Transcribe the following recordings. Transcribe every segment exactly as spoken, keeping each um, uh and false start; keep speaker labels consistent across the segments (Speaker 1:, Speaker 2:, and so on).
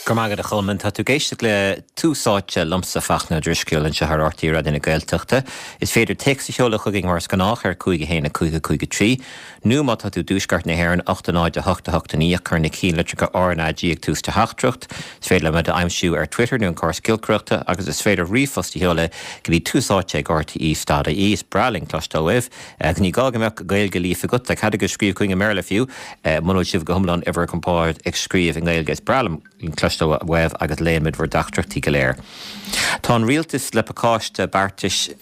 Speaker 1: Go maith agat a Cholmáin tá tú ag éisteacht le Tús Áite liomsa Fachtna Ó Drisceoil anseo ar RTÉ Raidió na Gaeltachta. Is féidir téacs a sheoladh chugainn mar is gnách ar cúig a haon a cúig a cúig a trí, nó má tá tú i dtuaisceart na hÉireann ocht a náid a hocht a hocht a naoi cuir na ceannlitreacha RnaG ag tús do theachtaireacht. Is féidir le muid a aimsiú ar Twitter nó an córas giolcaireachta agus is féidir ríomhphost a sheoladh go dtí tús áite ag RTÉ dot ie is breá linn cloisteáil uaibh. Ní gá go mbeadh Gaeilge líofa agat, tá cead agaibh scríobh chugainn i mBéarla fiú, muna bhfuil sibh go hiomlán ar bhur gcompord ag scríobh i nGaeilge is breá liom cloisteáil uaibh agus léimid bhur dteachtaireachtaí go léir. Tá an rialtas le pacáiste beartais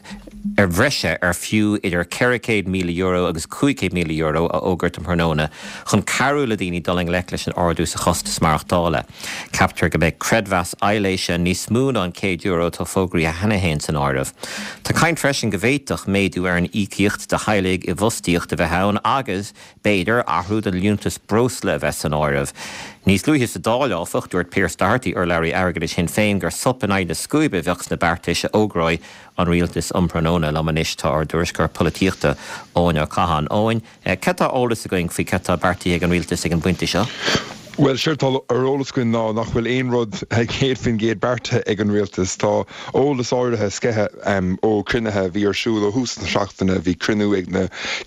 Speaker 1: ar bhreise ar fiú idir ceithre chéad míle euro agus cúig chéad míle euro a fhógairt um thráthnóna chun cabhrú le daoine dul i ngleic leis an ardú sa chostas maireachtála. Ceaptar go mbeidh creidmheas aibhléise níos mó ná an céad euro atá fógraithe cheana féin san áireamh. Tá caint freisin go bhféadfadh méadú ar an íocaíocht do theaghlaigh i bhfostaíocht a bheith ann agus, b'fhéidir, athrú don liúntas breosla a bheith san áireamh. Níos luaithe sa Dáil, áfach, dúirt Pearse Doherty, urlabhraí airgeadais Shinn Féin, gur sop in aghaidh na scuaibe a bheadh sna beartais a fhógróidh an rialtas um thráthnóna. Liom anois tá ár dtuairisceoir polaitíochta, Eoin Ó Catháin. Eoin, cad tá ar eolas againn faoi cad tá beartaithe ag an rialtas ag an bpointe seo?
Speaker 2: Bhuel, séard atá ar eolas againn ná nach bhfuil aon rud céad faoin gcéad beartaithe ag an rialtas. Tá eolas áirithe sceithe ó chruinnithe a bhí ar siúl ó thús na seachtaine. Bhí cruinniú ag na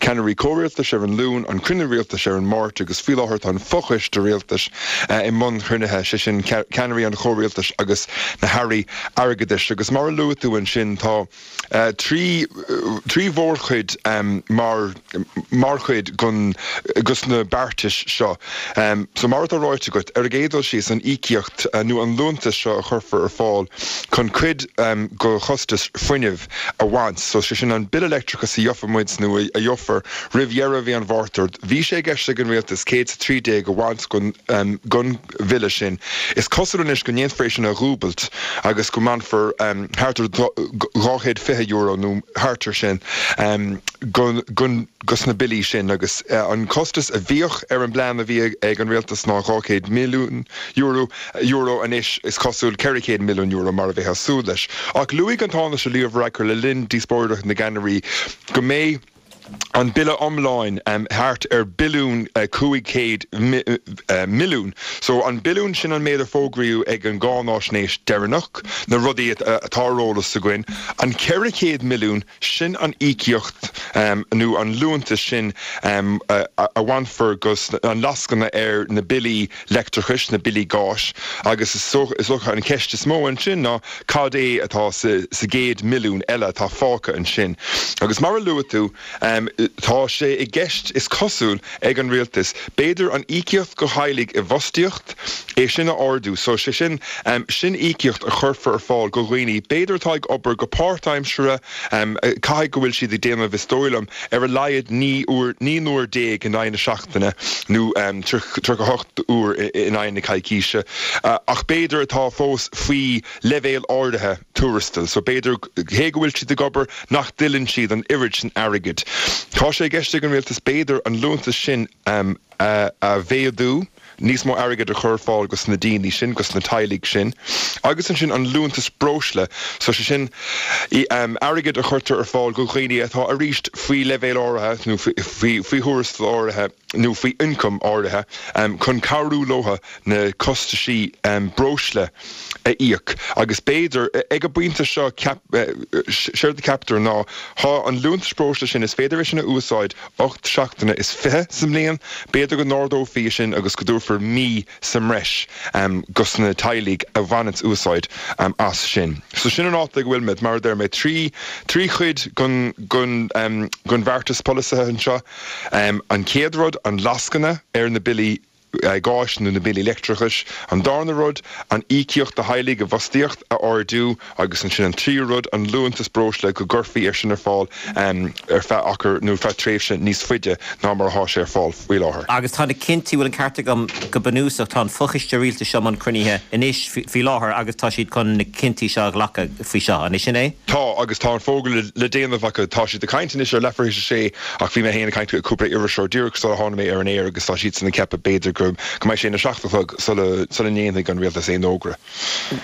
Speaker 2: ceannairí comhrialtais ar an Luan, an cruinniú rialtais ar an Máirt agus faoi láthair tá an fochoiste rialtais i mbun chruinnithe, sé sin ceannairí an chomhrialtais agus na hairí airgeadais. Agus mar a luaigh tú ansin tá trí trí mhórchuid mar mar chuid gon gos na beartais seo. So mar atá ráite agat, ar an gcéad dul síos, an íocaíocht nó an liúntas seo a chuirfear ar fáil chun cuid go chostas fuinnimh a bhaint. So sé sin an bille leictreachais a gheobhaidh muid nó a gheofar roimh dheireadh mhí an Mhárta. Bhí sé i gceist ag an rialtas céad is a trí déag a bhaint gon gon bhille sin. Is cosúil anois go ndéanfar é sin a dhúbailt agus go mbainfear thart ar dhá chéad fiche euro nó thart ar sin gon gon gos na billí sin agus an costas a bhíodh ar an bplean a bhí ag an rialtas ná dhá chéad milliún euro euro anois is cosúil ceithre chéad milliún euro mar a bheifeá ag súil leis. Ach luaigh an Tánaiste Leo Varadkar le linn díospóireacht na gceannairí go mbeidh an bille iomlán thart ar billiún cúig chéad milliún. So an billiún sin an méid a fógraíodh ag an gcáináisnéis deireanach, na rudaí atá ar eolas againn. An ceithre chéad milliún, sin an íocaíocht nó an liúntas sin a bhainfear gos an lascaine ar na billí leictreachais, na billí gáis agus is dócha an cheist is mó ansin ná cad é atá sa gcéad milliún eile atá fágtha ansin. Agus mar a luaigh tú, tá sé i gceist, is cosúil, ag an rialtas, b'fhéidir an íocaíocht go theaghlaigh i bhfostaíocht, é sin a ardú. So, sé sin, sin íocaíocht a chuirfear ar fáil go dhaoine, b'fhéidir atá ag obair go páirtaimseartha, caithfidh go bhfuil siad ag déanamh, is dóigh liom, ar a laghad naoi uair, naoi n-uair déag in aghaidh na seachtaine nó tríocha a hocht uair in aghaidh na coicíse, ach b'fhéidir atá fós faoi leibhéal áirithe tuarastail. So b'fhéidir, cé go bhfuil siad ag obair, nach dtuilleann siad an oiread sin airgid. Tá sé i gceist ag an rialtas b'fhéidir an liúntas sin a mhéadú, níos mó airgid a chur ar fáil gos na daoine sin, gos na teaghlaigh sin, agus ansin an liúntas breosla, so sé sin airgead a chuirtear ar fáil go dhaoine atá arís faoi leibhéal áirithe nó faoi faoi thuarastal áirithe nó faoi ioncam áirithe chun cabhrú leo na costaisí breosla a íoc. Agus b'fhéidir, ag an bpointe seo, séard a ceaptar ná thá an liúntas breosla sin, is féidir é sin a úsáid ocht seachtaine is fiche sa mbliain, b'fhéidir go n-ardófaí é sin agus go dtabharfar mí sa mbreis gos na teaghlaigh a bhaineanns úsáid as sin. So sin an áit ag a bhfuil muid, mar a deir mé, trí trí chuid gon gon gon bheartas polasaithe anseo. An chéad rud, an lascaine ar na billí gáis nó na billí leictreachais. An darna rud, an íocaíocht do theaghlaigh i bhfostaíocht a ardú agus ansin an tríú rud, an liúntas breosla, go gcuirfí é sin ar fáil ar feadh achar nó ar feadh tréimhse níos faide ná mar atá sé ar fáil faoi láthair.
Speaker 1: Agus tá na cinntí, bhfuil an ceart agam, go bunúsach, tá an fochoiste rialtais seo i mbun cruinnithe anois faoi láthair agus tá siad chun na cinntí seo a ghlacadh faoi seo, an é sin é?
Speaker 2: Tá, agus tá an fógra le déanamh acu. Tá siad ag caint anois ar leathuair théis a sé ach bhí mé féin ag caint le cúpla iriseoir díreach sula tháinig mé ar an aer agus tá siadsan ag ceapadh b'fhéidir go go mbeidh sé ina seacht a chlog sula sula ndéanfaidh an rialtas aon fhógra.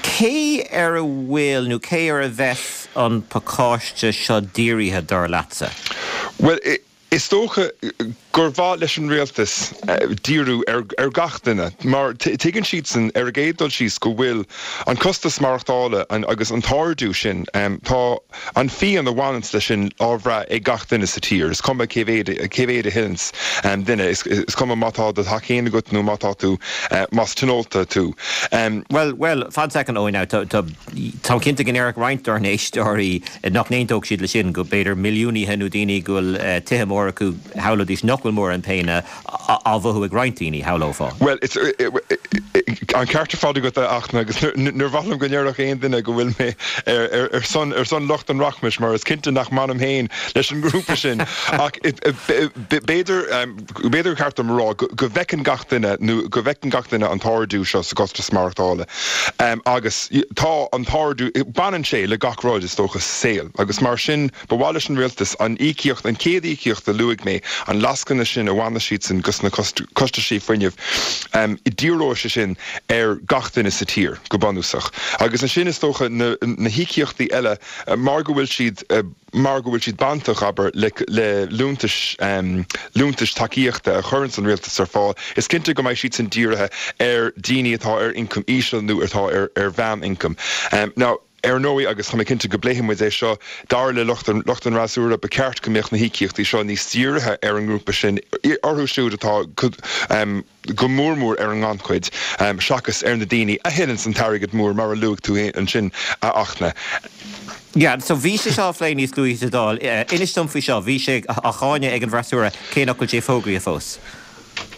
Speaker 1: Cé ar a bhfuil nó cé ar a bheas an pacáiste seo dírithe, dar leatsa?
Speaker 2: Bhuel, is dócha gur mhaith leis an rialtas díriú ar ar gach duine, mar tuigeann siadsan ar an gcéad dul síos go bhfuil an costas maireachtála an agus an t-ardú sin, tá an phian a bhaineanns leis sin á bhrath ag gach duine sa tír, is cuma cé mhéad cé mhéad a thuilleanns duine, is is cuma má tá do theach féin agat nó má tá tú más tionónta tú.
Speaker 1: Bhuel, bhuel, fan soicind Eoin now, tá tá táim cinnte go ndéarfadh roinnt dár n-éisteoirí nach n-aontódh siad leis sin, go b'fhéidir milliúnaithe nó daoine go bhfuil tithe móra acu, shamhlóidís nach bhfuil mórán péine á mhothú ag roinnt daoine, shamhlófá.
Speaker 2: Bhuel, an ceart ar fad agat a Fhachtna, agus níor mhaith liom go ndéarfadh aon duine go bhfuil mé ar son ar son lucht an rachmais, mar is cinnte nach mbainim féin leis an ngrúpa sin. Ach b'fhéidir b'fhéidir gur ceart dom a rá go bhfeiceann gach duine nó go bhfeiceann gach duine an t-ardú seo sa gcostas maireachtála. Agus tá an t-ardú, baineann sé le gach rud is dócha sa saol, agus mar sin ba mhaith leis an rialtas an íocaíocht, an chéad íocaíocht a luaigh mé, an lascaine sin a bhaineas siadsan gus na costaisí fuinnimh, díreoidh sé sin ar gach duine sa tír, go bunúsach. Agus ansin is dócha na na híocaíochtaí eile, mar go bhfuil siad, mar go bhfuil siad bainteach, abair, le le liúntais, liúntais tacaíochta a chuireanns an rialtas ar fáil, is cinnte go mbeidh siadsan dírithe ar daoine atá ar ioncam íseal nó atá ar ar mheán-ioncam. Now. Ar ndóigh, agus tá mé cinnte go bpléifidh muid é seo, dar le lucht an lucht an fhreasúra, ba cheart go mbeadh na híocaíochtaí seo níos dírithe ar an ngrúpa sin, orthu siúd atá go mór mór ar an ngannchuid, seachas ar na daoine a thuilleanns an t-airgead mór, mar a luaigh tú ansin, a Fhachtna.
Speaker 1: Yeah, so bhí sé seo á phlé níos luaithe sa Dáil. Inis dom faoi seo, bhí sé á cháineadh ag an bhfreasúra, cé nach bhfuil sé fógraithe fós.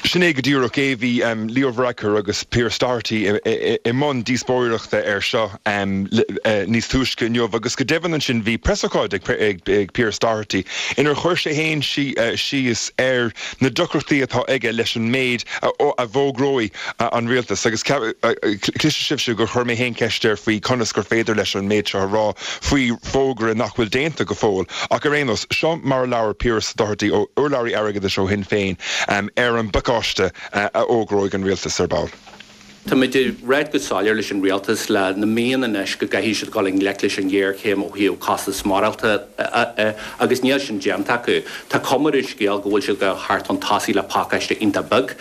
Speaker 2: Sin é go díreach é. Bhí Leo Varadkar agus Pearse Doherty i mbun díospóireachta air seo níos túisce inniu agus go deimhin ansin bhí preasócáid ag Pearse Doherty inar chuir sé féin síos ar na deacrachtaí atá aige leis an méid a bhfógróidh an rialtas agus cloisfidh sibhse gur chuir mé féin ceist air faoi conas gur féidir leis an méid seo a rá faoi fógra nach bhfuil déanta go fóill. Ach ar aon nós, seo mar a labhair Pearse Doherty, urlabhraí airgeadais ó Shinn Féin, ar an bpacáiste a fhógróidh an rialtas ar ball.
Speaker 3: Táimid ag ráit go soiléir leis an rialtas le na míonna anois go gcaithfidh siad dul i ngleic leis an ghéarchéim ó thaobh costas maireachtála agus níl sin déanta acu. Tá cuma ar an scéal go bhfuil siad ag dul thart chun tosaigh le pacáiste iontach beag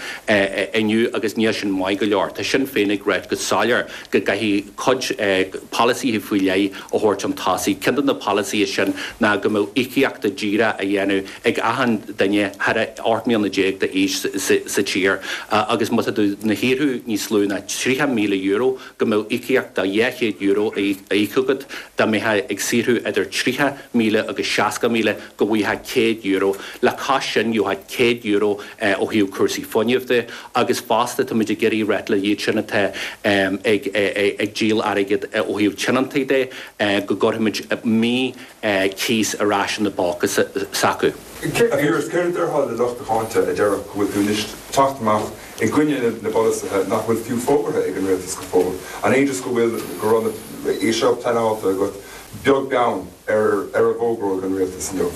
Speaker 3: inniu agus níl sin maith go leor. Tá Sinn Féin ag ráit go soiléir go gcaithfidh cuid polasaithe faoi leith a thabhairt chun tosaigh. Ceann de na polasaithe sin ná go mbeadh íocaíochta díreach á dhéanamh ag achan duine thar ocht mbliana déag d'aois sa tír agus má tá tú ina shaothrú níos lú ná tríocha míle euro go mbeadh íocaíocht de dhá chéad euro á íoc agat, dá mbeifeá ag saothrú idir tríocha míle agus seasca míle go bhfaighfeá céad euro. Le cois sin gheofá céad euro ó thaobh cúrsaí fuinnimh de agus fosta táimid ag iarraidh ráit le iad sin atá ag díol airgid ó thaobh tionóntaí de go gcuirfimid mí cíos ar ais ina bpóca s'acu.
Speaker 2: A Phiarais, céard a déarfá le lucht do cháinte a déarfadh go bhfuil tú anois teacht amach i gcoinne na bpolasaithe nach bhfuil fiú fógartha ag an rialtas go fóill? An é just go bhfuil, go raibh é seo pleanáilte agat beag beann ar ar a bhfógróidh an rialtas inniu?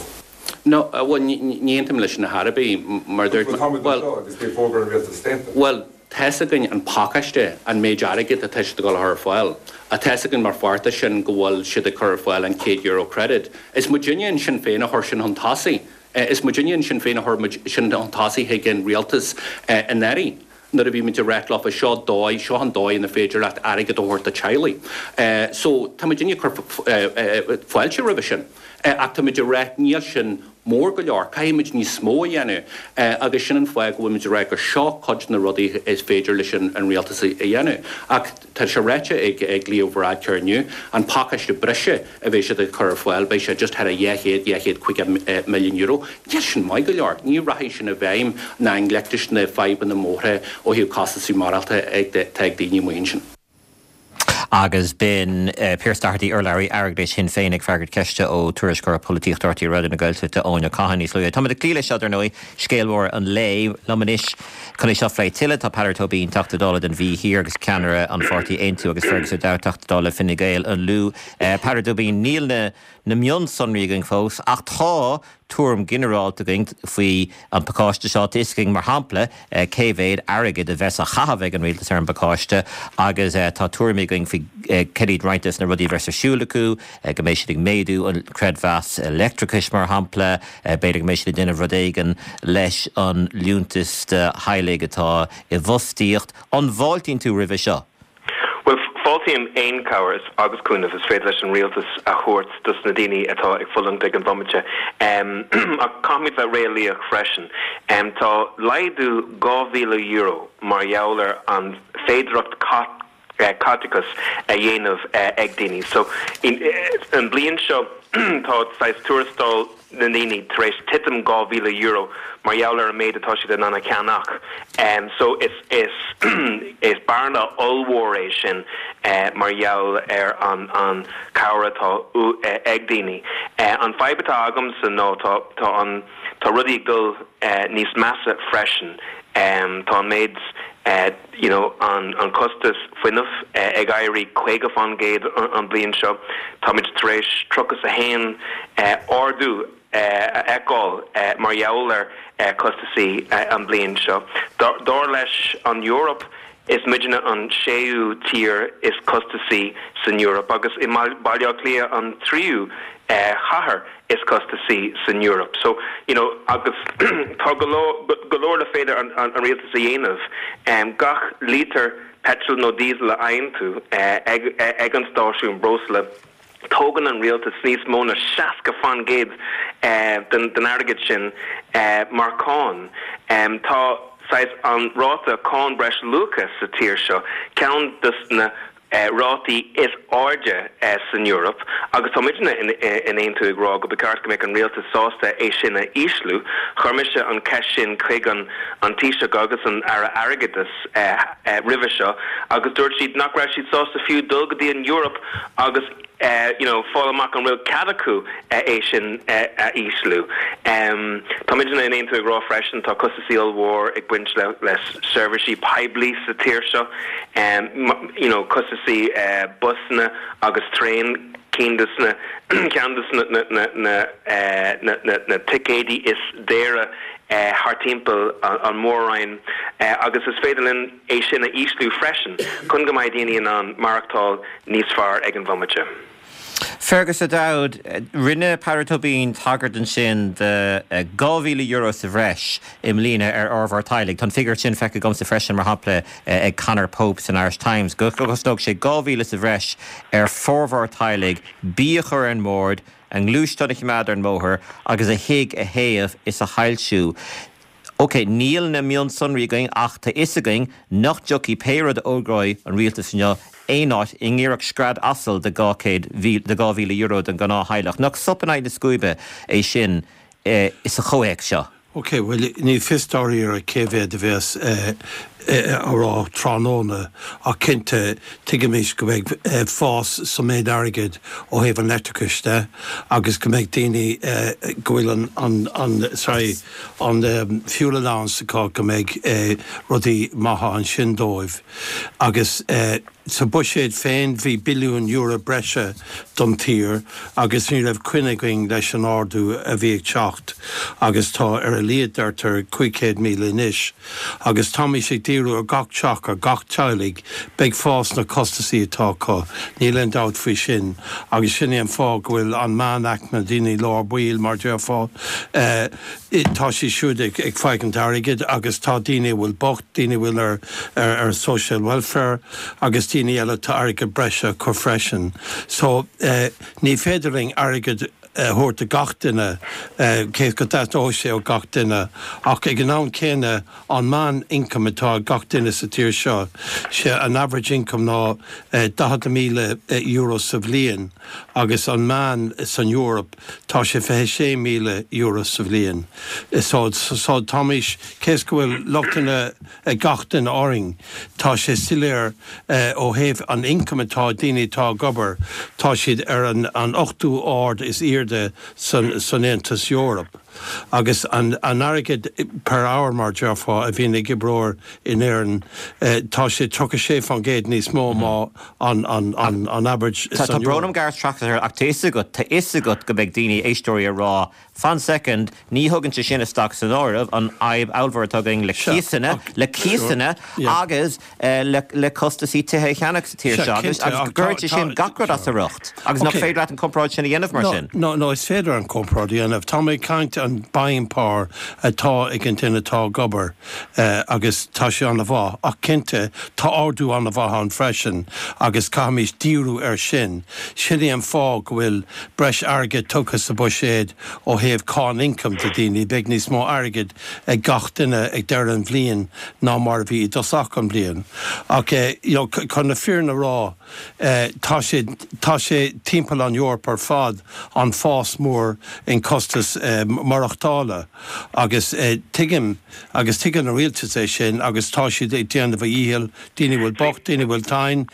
Speaker 3: No, bhuel, ní aontaím leis sin ar chor ar bith, mar a dúirt mé.
Speaker 2: Bhuel, táimid anseo agus beidh fógra an rialtais déanta.
Speaker 3: Bhuel, tá's againn an pacáiste, an méid airgid atá siad ag dul a chur ar fáil. Tá 'fhios againn mar pháirt de sin go bhfuil siad ag cur ar fáil an céad euro credit. Is muidinne in Sinn Féin a chuir sin chun tosaigh. Is muidinne in Sinn Féin a chuir muid sin chun tosaigh chuig an rialtas anuraidh nuair a bhí muid ag ráit leofa seo dóigh, seo an dóigh ina féidir leat airgead a thabhairt do teaghlaigh. So tá muidinne ag cur fáilte roimhe sin. Ach tá muid ag ráit níl sin mór go leor, caithfidh muid níos mó a dhéanamh agus sin an fáth go bhfuil muid ag rá gur seo cuid de na rudaí is féidir leis an rialtas a dhéanamh. Ach tá sé ráite ag Leo Varadkar inniu, an pacáiste breise a bheidh siad ag cur ar fáil, beidh sé just thar a dhá chéad, dhá chéad caoga milliún euro. Níl sin maith go leor. Ní rachaidh sin i bhfeidhm ná i ngleic leis na fadhbanna móra ó thaobh costasaí maireachtála atá ag daoine amuigh ansin.
Speaker 1: Agus b'in Pearse Doherty, urlabhraí airgeadais Shinn Féin ag freagairt ceiste ó Tuairisceoir Polaitíochta R T É Raidió na Gaeltachta, Eoin Ó Cadhain níos luaithe. Táimid ag cloí leis seo, dar ndóigh, scéal mór an lae. Liom anois chun é seo a phlé tuilleadh tá Peadar Tóibín, Teachta Dála don Mhí Thiar agus ceannaire an pháirtí Aontú agus Fergus O'Dowd, Teachta Dála Fine Gael, an Lú. Peadar Tóibín, níl na na mionsonraí againn fós ach tá tuairim ginearálta againn faoi an pacáiste seo. Tá fhios againn, mar shampla, cé mhéad airgead a bheas á chaitheamh ag an rialtas ar an bpacáiste agus tá tuairimí againn faoi cad iad roinnt des na rudaí a bheas ar siúl acu, go mbeidh siad ag méadú an creidmheas leictreachais, mar shampla, b'fhéidir go mbeidh siad ag déanamh rud éigin leis an liúntas do theaghlaigh atá i bhfostaíocht. An bhfáiltíonn tú roimhe seo?
Speaker 4: Bhuel, fáiltím aon cabhair agus cúnamh is féidir leis an rialtas a thabhairt dos na daoine atá ag fulaingt ag an bhomaite. Ach caithfimid bheith réalaíoch freisin. Tá laghdú dhá mhíle euro mar gheall ar an féidireacht caiteachas a dhéanamh ag daoine. So, an bliain seo tá saghas tuarastal na ndaoine tar éis titim dhá mhíle euro mar gheall ar an méid atá siad in ann a cheannach. So is is is bearna ollmhór é sin mar gheall ar an an cabhair atá ag daoine. An fadhb atá agamsa ná tá tá an tá rudaí ag dul níos measa freisin. Tá an méid you know an an costas fuinnimh ag éirí caoga faoin gcéad an bliain seo. Táimid tar éis tríocha a haon ardú a fheiceáil mar gheall ar costasaí an bliain seo. Dar leis an Eoraip, is muidne an séú tír is costasaí san Eoraip agus i Baile Átha Cliath an tríú chathair is costasaí san Eoraip. So, you know, agus tá go leor le féidir an, an, an rialtas a dhéanamh. Gach lítear petrol nó diesel a fhaigheann tú ag, ag an stáisiún breosla, tógann an rialtas níos mó ná seasca faoin gcéad den, den airgead sin mar cáin. Tá saghas an ráta cáin breis luacha sa tír seo ceann des na rátaí is airde san Eoraip agus tá muidne in Aontú ag rá go ba cheart go mbeadh an rialtas sásta é sin a ísliú. Chuir mise an ceist sin chuig an an Taoiseach agus an Aire Airgeadais roimhe seo agus dúirt siad nach raibh siad sásta fiú dul go dtí an Eoraip agus you know, fáil amach an bhfuil cead acu é sin a ísliú. Tá muidne in Aontú ag rá freisin tá costasaí ollmhór ag baint le le seirbhísí poiblí sa tír seo, you know, costasaí busanna agus traein cinn des na ceann des na na na na na na ticéidí is daoire thart timpeall an mór-roinn agus is féidir linn é sin a ísliú freisin chun go mbeidh daoine in ann maireachtáil níos fearr ag an bhomaite.
Speaker 1: Fergus O'Dowd, rinne Peadar Tóibín tagairt ansin de dhá mhíle euro sa bhreis i mbliana ar fhormhór teaghlaigh. Tá an figiúr sin feicthe agamsa freisin mar shampla ag Conor Pope san Irish Times, go gcosnódh sé dhá mhíle sa bhreis ar formhór teaghlaigh bia a chur ar an mbord, a ngluaisteán a choimeád ar an mbóthar agus a thigh a théamh is a shoilsiú. Ok, níl na mionsonraí againn ach tá fhios againn nach dtiocfaidh pé rud a fhógróidh an rialtas inniu aon áit i ngiorracht scread asail de dhá chéad de dhá mhíle euro don ghnáth-theaghlach. Nach sop in aghaidh na scuaibe é sin sa chomhthéacs seo?
Speaker 5: Ok, bhuel ní fios dáiríre cé mhéad a bheas á rá tráthnóna ach cinnte tuigimid go mbeidh fás sa méid airgid ó thaobh an leictreachais de agus go mbeidh daoine go bhfuil an an an sorry an fuel allowance acu go mbeidh rudaí maithe ansin dóibh agus sa buiséad féin bhí billiún euro breise don tír agus ní raibh coinne againn leis an ardú a bhí ag teacht agus tá ar a laghad deirtear cúig chéad míle anois agus táimid ag díriú ar gach teach ar gach teaghlaigh beidh fás na costasaí atá acu níl aon dabht faoi sin agus sin é an fáth go bhfuil an meánaicme daoine lár baill mar déarfá tá siad siúd ag ag faighint airgid agus tá daoine a bhfuil bocht daoine a bhfuil ar ar ar social welfare agus daoine eile tá airgead breise acu freisin. So eh, ní féidir linn airgead a thabhairt do gach duine cé go dteastódh sé ó gach duine ach ag an am céanna an meán income atá ag gach duine sa tír seo sé an average income ná daichead míle euro sa bhliain agus an meán san Eoraip tá sé fiche sé míle euro sa bhliain. So so táimid cé go bhfuil lochtanna ag gach duine orainn tá sé soiléir ó thaobh an income atá daoine atá ag obair tá siad ar an an ochtú ard is airde san san Aontas Eorpach. Agus an an airgead per hour mar déarfá a bhíonn ag oibreoir in Éirinn tá sé tríocha sé faoin gcéad níos mó ná an an an an average
Speaker 1: Tá tá brón orm Gareth teacht ach tá fhios agat tá fhios agat go mbeidh daoine éisteoirí ag rá fan soicind ní thugann sé sin isteach san áireamh an fhadhb ollmhór atá againn le cíosanna le cíosanna agus le le costasaí tithe a cheannach sa tír seo agus agus go gcuireann sé sin gach rud as a riocht agus nach féidir leat an comparáid sin a dhéanamh mar sin.
Speaker 5: No no is féidir an comparáid a dhéanamh. Tá mé ag caint an buying power atá ag an duine atá ag obair agus tá sé an-mhaith ach cinnte tá ardú an-mhaith ann freisin agus caithfimid díriú air sin. Sin é an fáth go bhfuil breis airgid tugtha sa bhuiséad ó thaobh cáin ioncaim do daoine, beidh níos mó airgid ag gach duine ag deireadh an bhliain ná mar a bhí i dtosach an bhliain. Ach you know, chun na fírinne a rá, tá sé tá sé timpeall an Eoraip ar fad an fás mór in costas maireachtála agus tuigim agus tuigeann an rialtas é sin agus tá siad ag déanamh a dhícheall, daoine bhfuil bocht, daoine bhfuil tinn,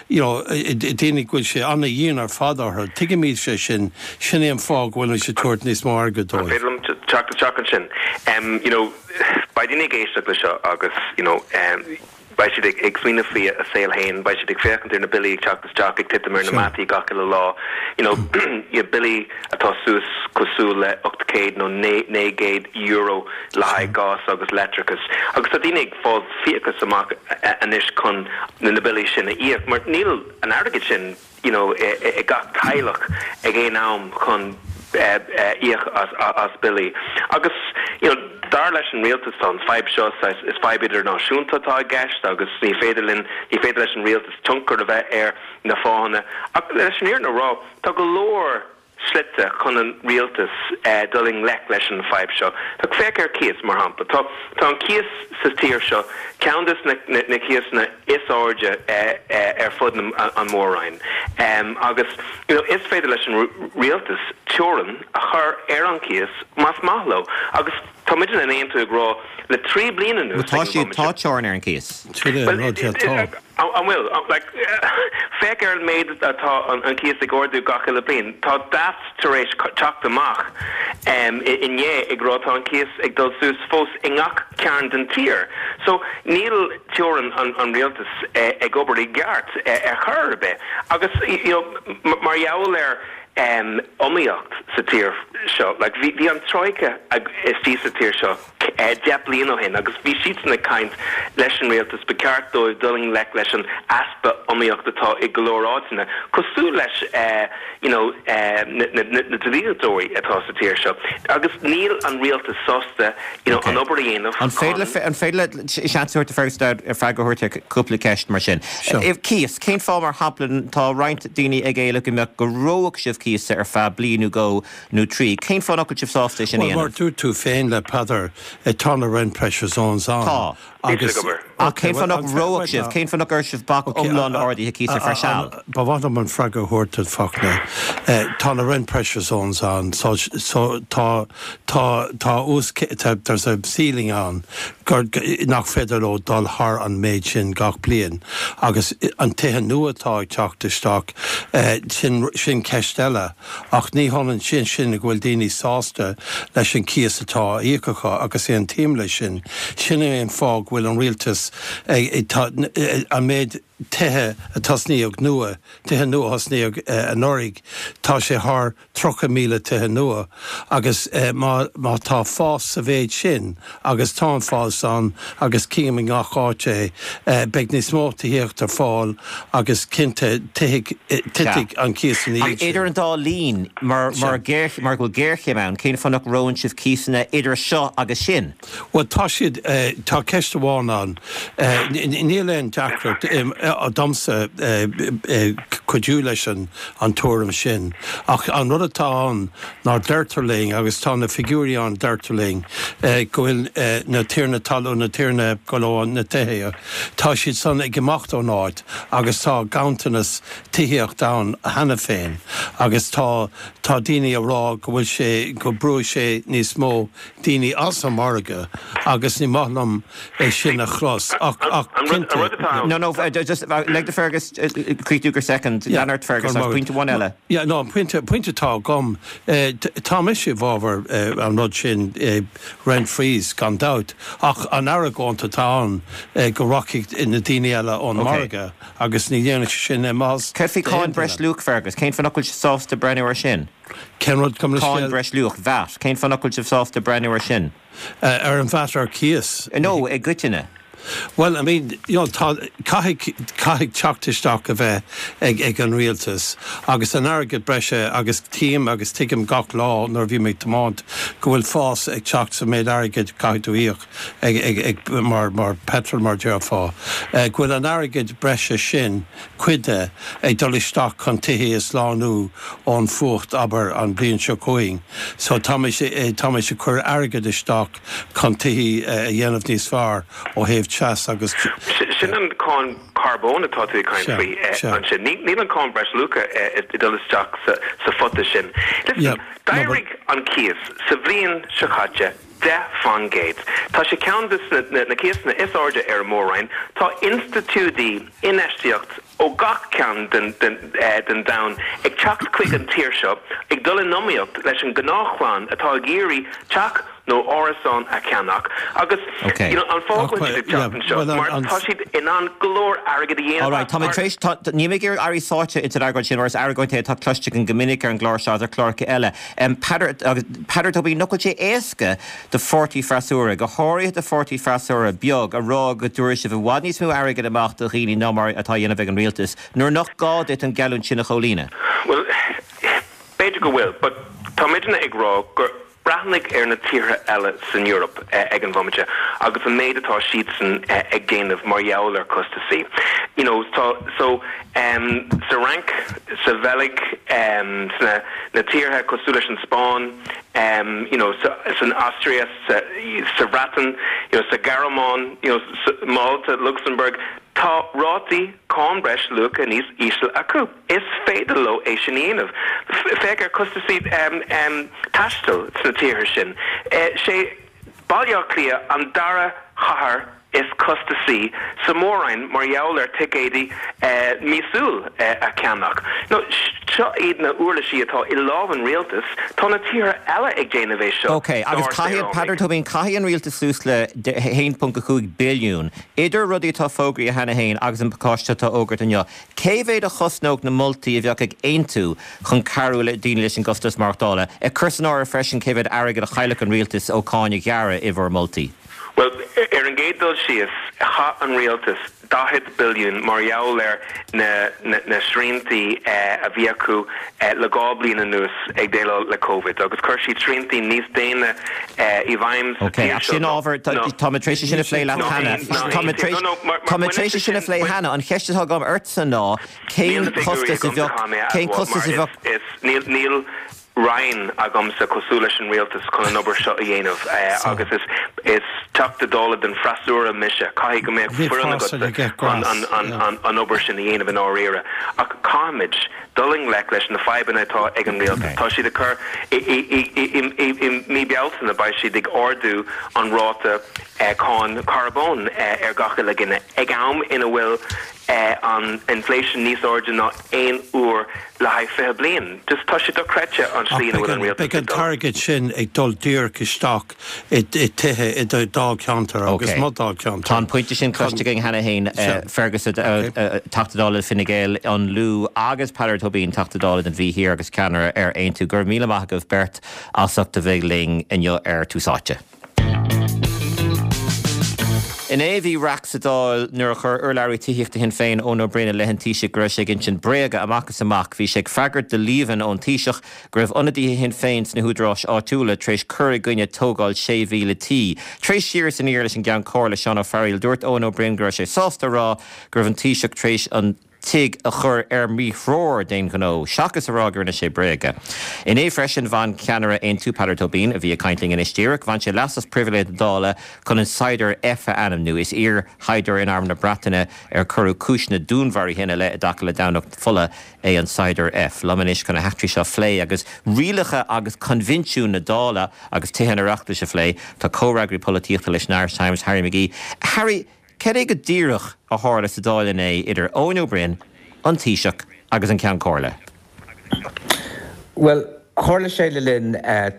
Speaker 5: you know, daoine go bhfuil sé an-dhian ar fad orthu. Tuigimid sé sin, sin é an fáth go bhfuil siad ag tabhairt níos mó airgid
Speaker 4: dóibh. An féidir liom teacht isteach ansin? You know, beidh daoine ag éisteacht le seo agus, you know, beidh siad ag smaoineamh faoi a saol féin, beidh siad ag féachaint ar na billí ag teacht isteach, ag titim ar na mataí gach uile lá, you know, billí atá suas cosúil le ocht gcéad nó naoi gcéad euro le haghaidh gás agus leictreachas. Agus tá daoine ag fáil fiachas amach anois chun na billí sin a íoc mar níl an airgead sin you know, ag gach teaghlach ag aon am chun íoc as billí. Agus you know, dar leis an rialtas tá an fadhb seo is fadhb idirnáisiúnta atá i gceist agus ní féidir linn ní féidir leis an rialtas tionchar a bheith ar na fáthanna. Ach leis an fhírinne a rá, tá go leor slite chun an rialtas dul i ngleic leis an bhfadhb seo. Tá féach ar cíos, mar shampla. Tá tá an cíos sa tír seo ceann de na na cíosanna is airde ar fud an mhór-roinn. Agus you know, is féidir leis an rialtas teorainn a chur ar an cíos más maith leo. Agus tá muid in Aontú ag rá le trí bliana anuas.
Speaker 1: Tá siad tá teorainn ar an cíos.
Speaker 4: An bhfuil? Like, féach ar an méid atá an cíos ag ardú gach uile bliain. Tá Daft tar éis teacht amach inné ag rá tá an cíos ag dul suas fós i ngach cearn den tír. So níl teorainn an rialtas ag obair i gceart ar chor ar bith. Agus you know, mar gheall ar iomaíocht sa tír seo, like, bhí bhí an Troika istigh sa tír seo deich bliain ó shin agus bhí siadsan ag caint leis an rialtas, ba cheart dóibh dul i ngleic leis an easpa iomaíocht atá i go leor áiteanna, cosúil leis you know na na dlíodóirí atá sa tír seo agus níl an rialtas sásta you know an obair a dhéanamh
Speaker 1: An féidir le an féidir le seans a thabhairt do Fergus Dowd freagra a thabhairt ar cúpla ceist mar sin? Cíos, cén fáth mar shampla tá roinnt daoine ag éileamh go mbeadh go reofadh sibh cíosa ar feadh bliain nó dhó nó trí. Cén fáth nach bhfuil sibh sásta é sin a
Speaker 5: Bhuel, mar
Speaker 1: dhéanamh?
Speaker 5: dúirt tú féin le Peadar, tá na rent pressure zones ann.
Speaker 1: Tá.
Speaker 5: Agus.
Speaker 1: Ach cén fáth nach reofadh sibh? Cén fáth nach gcuirfeadh sibh bac iomlán le arduithe cíosa ar feadh seal?
Speaker 5: Ba mhaith liom an freagra a thabhairt duit, Fachtna. Tá na rent pressure zones ann, so so tá tá tá uas tá there's a ceiling ann gur nach féidir leo dul thar an méid sin gach bliain. Agus an tithe nua atá ag teacht isteach, sin sin ceist eile. Ach ní hionann sin sin go bhfuil daoine sásta leis an cíos atá á íoc acu agus aontaím leis sin. Sin é an fáth go bhfuil an rialtas ag tá an méid tithe a tosnaíodh nua, tithe nua a thosnaíodh anuraidh, tá sé thar tríocha míle tithe nua agus má má tá fás sa mhéid sin, agus tá an fás ann agus cím i ngach áit é, beidh níos mó tithíocht ar fáil agus cinnte titfidh titfidh an cíos ina
Speaker 1: Ach
Speaker 5: dhiaidh sin.
Speaker 1: idir an dá linn, mar mar mar go bhfuil géarchéim ann, cén fáth nach reonn sibh cíosanna idir seo agus sin?
Speaker 5: Bhuel, tá siad, tá ceist amháin ann. Níl aon deacracht domsa cuidiú leis an tuairim sin. Ach an rud atá ann ná deirtear linn, agus tá na figiúirí ann, deirtear linn go bhfuil na tiarnaí talún, na tiarnaí go leor na tithe, tá siad san ag imeacht ón áit agus tá ganntanas tithíocht ann cheana féin agus tá tá daoine ag rá go bhfuil sé, go brúfaidh sé níos mó daoine as an margadh agus ní maith liom é sin a chlos ach ach
Speaker 4: An rud
Speaker 5: cinnte.
Speaker 4: atá
Speaker 1: No, no, just lig do Fergus críochnú go soicind. Lean ort, Fergus, ach pointe amháin eile.
Speaker 5: Yeah, no, an pointe, pointe atá agam, tá mise i bhfabhar an rud sin, rent freeze, gan dabht, ach an argóint atá ann go rachaidh na daoine eile ón margadh agus ní dhéanfaidh sé sin maitheas
Speaker 1: Céard faoi cháin breisluach, Fergus? Cén fáth nach bhfuil sibh sásta breathnú air sin?
Speaker 5: Cén rud, gabh mo
Speaker 1: Cáin
Speaker 5: leithscéal?
Speaker 1: breisluach, VAT, cén fáth nach bhfuil sibh sásta breathnú air sin?
Speaker 5: Ar an VAT ar cíos?
Speaker 1: No, i gcoitinne.
Speaker 5: Bhuel, I mean, you know, tá, caithfidh, caithfidh teacht isteach a bheith ag, ag an rialtas agus an airgead breise agus tím agus tuigim gach lá nuair a bhím ag tiomáint go bhfuil fás ag teacht sa méid airgid caithfidh tú íoc ag, ag, ag, mar, mar petrol mar déarfá. Go bhfuil an airgead breise sin, cuid de, ag dul isteach chun tithe a shlánú ón fuacht, abair, an bhliain seo chugainn. So táimid, táimid ag cur airgead isteach chun tithe a dhéanamh níos fearr ó thaobh teas agus.
Speaker 4: Sin an cáin carbóin atá tú ag caint faoi ansin. Níl an cáin breisluacha ag dul isteach sa phota sin. Listen, d'éirigh an cíos sa bhliain seo caite deich faoin gcéad. Tá sé ceann de na cíosanna is airde ar an mór-roinn. Tá institiúidí infheistíocht ó gach ceann den domhan ag teacht chuig an tír seo, ag dul in iomaíocht leis an ngnáthchlann atá ag iarraidh teach nó árasán a cheannach. Agus you know an fáth go bhfuil siad ag teacht anseo mar tá siad in ann go leor airgid a dhéanamh.
Speaker 1: Alright, tá mé tar éis, tá, níl mé ag iarraidh éirí sáite ins an argóint sin mar is argóint é atá cloiste againn go minic ar an gclár seo agus ar chláracha eile. Peadar, agus Peadar Tóibín, nach bhfuil sé éasca do pháirtí freasúra, go háirithe do pháirtí freasúra beag, a rá go dtabharfaidh sibh i bhfad níos mó airgid amach do dhaoine ná mar atá á dhéanamh ag an rialtas, nuair nach gá duit an gheallúint sin a chomhlíonadh?
Speaker 4: Bhuel, b'fhéidir go bhfuil, but tá muidne ag rá gur breathnaigh ar na tíortha eile san Eoraip ag an bhomaite agus an méid atá siadsan ag déanamh mar gheall ar costasaí. You know, tá, so, em, sa Fhrainc, sa Bheilg, em, sna, na tíortha cosúil leis an Spáinn, em, you know, sa, san Astria, sa, sa Bhreatain, you know, sa Ghearmáin, you know, sa, Malta, Luxembourg, tá rátaí cáin breis luacha níos ísle acu. Is féidir leo é sin a dhéanamh. Féach ar costasaí em, em, taistil sna tíortha sin. Sé Baile Átha Cliath an dara chathair is costasaí sa Mhór-Roinn mar gheall ar ticéidí míosúil a cheannach. Now, seo iad na uirlisí atá i lámh an rialtais. Tá na tíortha eile ag déanamh é seo
Speaker 1: Ok, agus
Speaker 4: dár
Speaker 1: caithfidh,
Speaker 4: saoránaigh.
Speaker 1: Peadar Tóibín, caithfidh an rialtas suas le a haon ponc a cúig billiún, idir rudaí atá fógraithe cheana féin agus an pacáiste atá fógartha inniu. Cé mhéad a chosnódh na moltaí a bheadh ag Aontú chun cabhrú le daoine leis an gcostas maireachtála, ag cur san áireamh freisin cé mhéad airgead a chaillfeadh an rialtas ó cáin a ghearradh i bhur moltaí?
Speaker 4: Bhuel, ar an gcéad dul síos, chaith an rialtas daichead billiún mar gheall ar na na sriantaí a bhí acu le dhá bliain anuas ag déileáil le Covid agus chuir siad sriantaí níos déine i bhfeidhm sa
Speaker 1: Ok,
Speaker 4: tír
Speaker 1: ach
Speaker 4: seo
Speaker 1: sin
Speaker 4: ná
Speaker 1: ábhar, tá mé tar éis é sin a phlé leat
Speaker 4: ná
Speaker 1: cheana.
Speaker 4: aon ná
Speaker 1: Tá mé
Speaker 4: aon
Speaker 1: tar éis
Speaker 4: no no mar
Speaker 1: tá
Speaker 4: mar
Speaker 1: mé tar éis
Speaker 4: baineann
Speaker 1: é
Speaker 4: sé
Speaker 1: sin a
Speaker 4: sin
Speaker 1: phlé cheana. An cheist atá agam ortsa ná
Speaker 4: Níl
Speaker 1: cén
Speaker 4: na figiúirí
Speaker 1: costas a
Speaker 4: agamsa
Speaker 1: bheadh
Speaker 4: chun mé a
Speaker 1: cén
Speaker 4: admháil
Speaker 1: costas
Speaker 4: mar
Speaker 1: a
Speaker 4: is
Speaker 1: bheadh
Speaker 4: is níl níl Roinn agamsa cosúil leis an rialtas chun an obair seo a dhéanamh agus is is Teachta Dála den freasúra mise. Caithfidh go mbeadh foireann agatsa chun an an obair sin a dhéanamh i ndáiríre. Ach caithfimid dul i ngleic leis na fadhbanna atá ag an rialtas. Tá siad ag cur i i i i i i mí Bealtaine beidh siad ag ardú an ráta cáin carbóin ar gach uile dhuine ag am ina bhfuil an inflation níos airde ná aon uair le haghaidh fiche bliain. Just tá sé dochreidte an
Speaker 5: Ach
Speaker 4: slí ina
Speaker 5: beidh
Speaker 4: bhfuil an
Speaker 5: an,
Speaker 4: rialtas
Speaker 5: beidh an
Speaker 4: ag dul.
Speaker 5: t-airgead sin ag dul díreach isteach i, i tithe i do dáilcheantar agus
Speaker 1: Ok.
Speaker 5: mo dáilcheantar.
Speaker 1: Tá an pointe sin
Speaker 5: Chun,
Speaker 1: cloiste againn cheana féin,
Speaker 5: sea,
Speaker 1: Fergus,
Speaker 5: ok.
Speaker 1: Teachta Dála Fine Gael, an Lú agus Peadar Tóibín, Teachta Dála den Mhí Thiar agus ceannaire ar Aontú. Go raibh míle maith agaibh beirt as ucht a bheith linn inniu ar Tús Áite. Inné bhí raic sa Dáil nuair a chuir urlabhraí tithíochta Shinn Féin Eoin Ó Broin i leith an Taoisigh go raibh sé ag insint bréaga amach is amach. Bhí sé ag freagairt do líomhain ón Taoiseach go raibh ionadaithe Shinn Féin sna húdaráis áitiúla tar éis cur i gcoinne tógáil sé mhíle tí. Tar éis siar is aniar leis an gCeann Comhairle Seán Ó Fearghaíl, dúirt Eoin Ó Broin go raibh sé sásta a rá go raibh an Taoiseach tar éis an tigh a chur ar míthreoir d'aon ghnó, seachas a rá go rinne sé bréaga. Inné freisin bhain ceannaire Aontú Peadar Tóibín, a bhí ag caint linn anois díreach, bhain sé leas as pribhléid na Dála chun an Saighdiúir F a ainmniú. Is iar-shaighdiúir in Arm na Breataine ar cuireadh cúiseanna dúnmharaithe ina leith i dtaca le Domhnach Fola é an Saighdiúir F. Liom anois chun na heachtraí seo a phlé agus rialacha agus coinbhinsiúin na Dála agus Tithe an Oireachtais a phlé, tá comhfhreagraí polaitíochta leis an Irish Times, Harry McGee. Harry, Cad é go díreach a tharla sa Dáil inné idir Eoin Ó Broin, an Taoiseach agus an Ceann Comhairle?
Speaker 6: Well, tharla sé le linn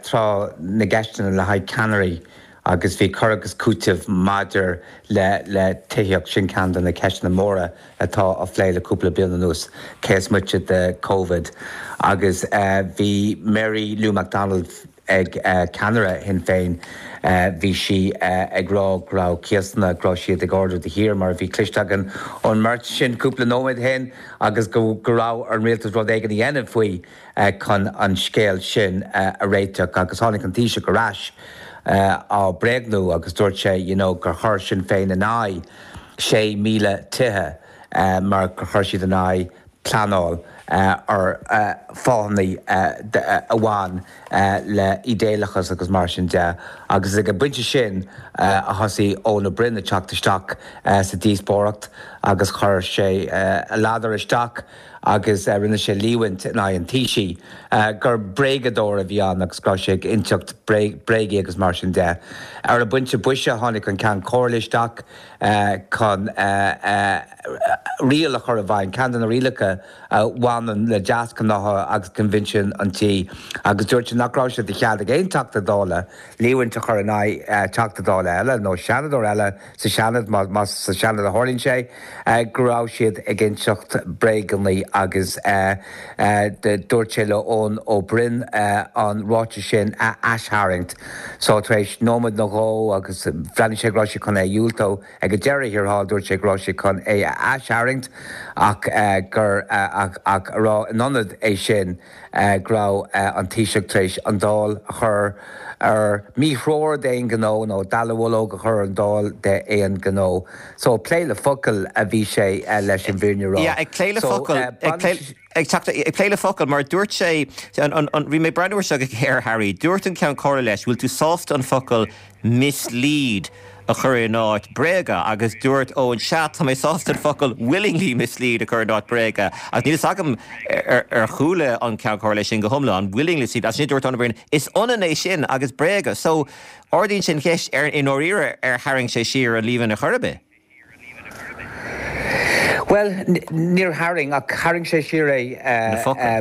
Speaker 6: tráth na gceisteanna le haghaidh ceannairí agus bhí cur agus cúiteamh maidir le le tithíocht, sin ceann de na ceisteanna móra atá á phlé le cúpla bliain anuas, cé is moite de Covid. Agus bhí Mary Lou McDonald ag ceannaire Shinn Féin, bhí sí ag rá go raibh cíosanna, go raibh siad ag ardú de shíor mar a bhí cloiste againn ón mbeirt sin cúpla nóiméad ó shin agus go raibh ar an rialtas rud éigin a dhéanamh faoi chun an scéal sin a réiteach. Agus tháinig an Taoiseach ar ais á bréagnú agus dúirt sé you know gur chuir Sinn Féin in aghaidh sé míle tithe mar gur chuir siad in aghaidh pleanáil ar fáthanna a bhain le idéalachas agus mar sin de. Agus ag an bpointe sin a thosaigh Eoin Ó Broin ag teacht isteach sa díospóireacht agus chuir sé a ladar isteach agus rinne sé líomhaint in aghaidh an Taoisigh gur bréagadóir a bhí ann agus go raibh sé ag inseacht bréagaí agus mar sin de. Ar an bpointe boise tháinig an Ceann Comhairle isteach chun riail a chur i bhfeidhm, ceann de na rialacha a bhaineann le deasghnátha agus coinbhinsiún an tí, agus dúirt sé nach raibh sé de chead ag aon Teachta Dála líomhaint a chur in aghaidh Teachta Dála eile nó Seanadóir eile sa Seanad, más sa Seanad a tharlaíonn sé, go raibh siad ag inseacht bréaganna agus dúirt sé le Eoin Ó Broin an ráiteas sin a aistharraingt. So tar éis nóiméad nó dhó agus bhreathnaigh sé go raibh sé chun é a dhiúltú, ag an deireadh thiar thall dúirt sé go raibh sé chun é a aistharraingt ach gur ach ach a rá in ionad é sin go raibh an Taoiseach tar éis an Dáil a chur ar míthreoir d'aon ghnó nó dallamullóg a chur ar an Dáil d'aon ghnó. So plé le focail a bhí sé leis an bhfírinne a rá.
Speaker 1: Yeah, ag plé le focail, ag plé ag teacht ag plé le focail mar dúirt sé an an an bhí mé ag breathnú air seo go géar Harry, dúirt an Ceann Comhairle leis, bhfuil tú sásta an focal mislead a chur in áit bréaga agus dúirt Eoin sea tá mé sásta an focal willingly mislead a chur in áit bréaga agus níl fhios agam ar ar chuala an Ceann Comhairle sin go hiomlán willingly mislead as sin dúirt Eoin Ó Broin is ionann é sin agus bréaga so ardaíonn sin ceist ar i ndáiríre ar tharraing sé siar an líomhain ar chor ar bith.
Speaker 6: Bhuel, níor tharraing, ach tharraing sé siar é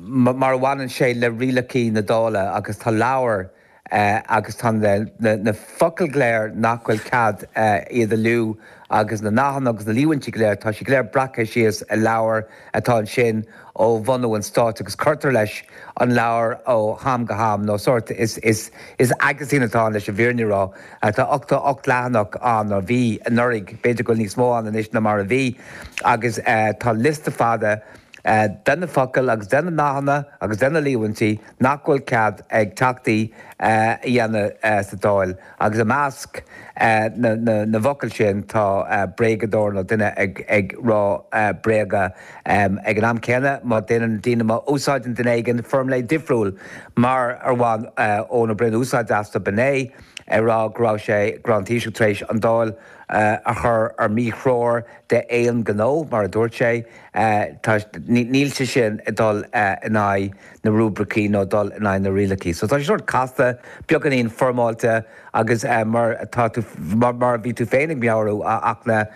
Speaker 6: mar a bhaineann sé le rialacha na Dála agus tá leabhar agus tá na focail go léir nach bhfuil cead iad a lua agus na nathanna agus na líomhaintí go léir, tá siad go léir breactha síos i leabhar atá ansin ó bhunú an stáit agus cuirtear leis an leabhar ó ham go ham nó sórt is is is aguisín atá ann leis an bhfírinne a rá. Tá ochtó ocht leathanach ann, nó bhí anuraidh, b'fhéidir go bhfuil níos mó ann anois ná mar a bhí agus tá liosta fada de na focail agus de na nathanna agus de na líomhaintí nach bhfuil cead ag Teachtaí a dhéanamh sa Dáil agus i measc na bhfocal sin tá bréagadóir nó duine ag rá bréaga. Ag an am céanna, má déanann daoine, má úsáideann duine éigin foirmle difriúil mar ar bhain Eoin Ó Broin úsáid astu, b'in é ag rá go raibh sé, go raibh an Taoiseach tar éis an Dáil a chur ar míthreoir d'aon ghnó, mar a dúirt sé. Tá, níl sé sin ag dul in aghaidh na rúibricí nó dul in aghaidh na rialacha. So tá sé sórt casta, beagáinín foirmeáilte agus mar atá tú, mar a bhí tú féin ag meabhrú, a Fhachtna,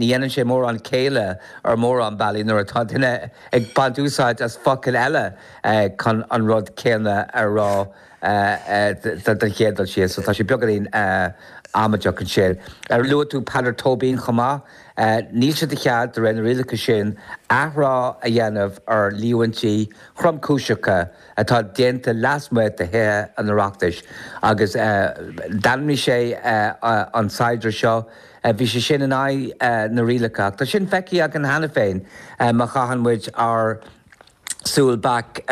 Speaker 6: ní dhéanann sé mórán céille ar mhórán bealaí nuair atá duine ag baint úsáid as focail eile chun an rud céanna a rá don chéad dul síos. So tá sé beagáinín amaideach ansin. Ar luaigh tú Peadar Tóibín chomh maith? Níl sé de chead, de réir na rialacha sin, athrá a dhéanamh ar líomhaintí thromchúiseacha atá déanta lasmuigh de Thithe an Oireachtais. Agus d'ainmnigh sé an saighdiúir seo, bhí sé sin in aghaidh na rialacha. Ach tá sin feicthe againn cheana féin má chaitheann muid ár súil back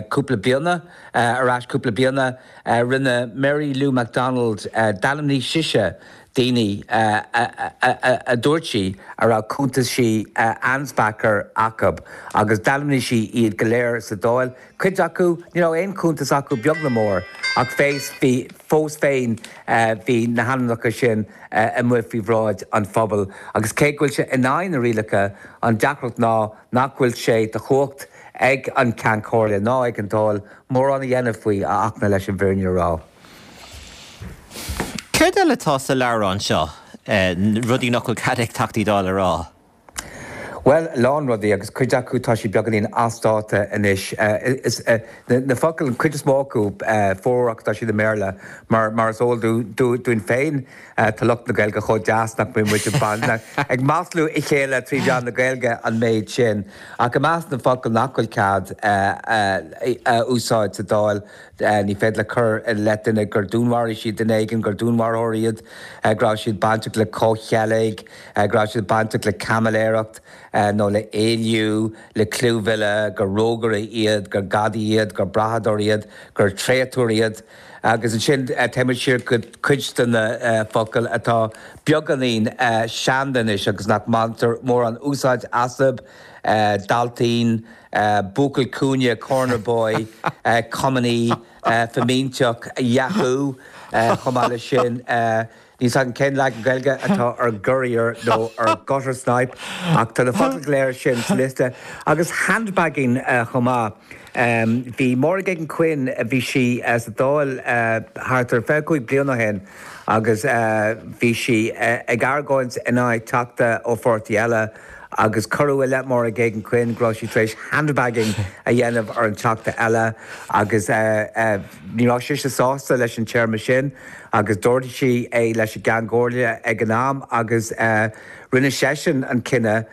Speaker 6: cúpla bliana, ar ais cúpla bliana, rinne Mary Lou McDonald, d'ainmnigh sise daoine a dúirt sí a raibh cuntaisí an-deacair acu agus d'ainmnigh sí iad go léir sa Dáil. Cuid acu, ní raibh aon chuntas acu beag ná mór ach fés, bhí, fós féin bhí na hainmneacha sin amuigh faoi bhráid an phobail agus cé go bhfuil sé in aghaidh na rialacha, an deacracht ná nach bhfuil sé de chumhacht ag an Ceann Comhairle ná ag an Dáil mórán a dhéanamh faoi, a Fhachtna, leis an bhfírinne a rá.
Speaker 1: Céard eile atá sa leabhrán seo, rudaí nach bhfuil cead ag Teachtaí Dála a rá?
Speaker 6: Bhuel, a lán rudaí agus cuid acu tá siad beagáinín as dáta anois. Is na focail, an chuid is mó acu, formhór acu tá siad i mBéarla mar mar is eol dúinn féin tá lucht na Gaeilge chomh deas nach mbíonn muid ag maslú a chéile trí mheán na Gaeilge an méid sin. Ach i measc na bhfocal nach bhfuil cead a úsáid sa Dáil, ní féidir le cur i leith duine gur dúnmharaigh siad duine éigin, gur dúnmharfóir iad, go raibh siad bainteach le comhcheilg, go raibh siad bainteach le caimiléireacht nó le éilliú, le clúmhilleadh, gur rógaire iad, gur gadaí iad, gur brathadóir iad, gur tréatúr iad. Agus ansin téimid siar go cuid de na focail atá beagáinín seanda anois agus nach mbaintear mórán úsáid astu, dailtín, buachaill cúinne, corner boy, cumannaí, fimínteach, yahoo, chomh maith leis sin. Níl 's agam cén leagan Gaeilge atá ar gurrier nó ar gutter snipe ach tá na focail go léir sin sa liosta. Agus handbagging chomh maith. Bhí Máire Geoghegan Quinn, bhí sí sa Dáil thart ar fiche cúig bliain ó shin agus bhí sí ag argóint in aghaidh teachta ó pháirtí eile agus cuireadh i leith Máire Geoghegan Quinn go raibh sí tar éis handbagging a dhéanamh ar an teachta eile agus ní raibh sise sásta leis an téarma sin agus d'ardaigh sí é leis an gCeann Comhairle ag an am agus rinne seisean an cinneadh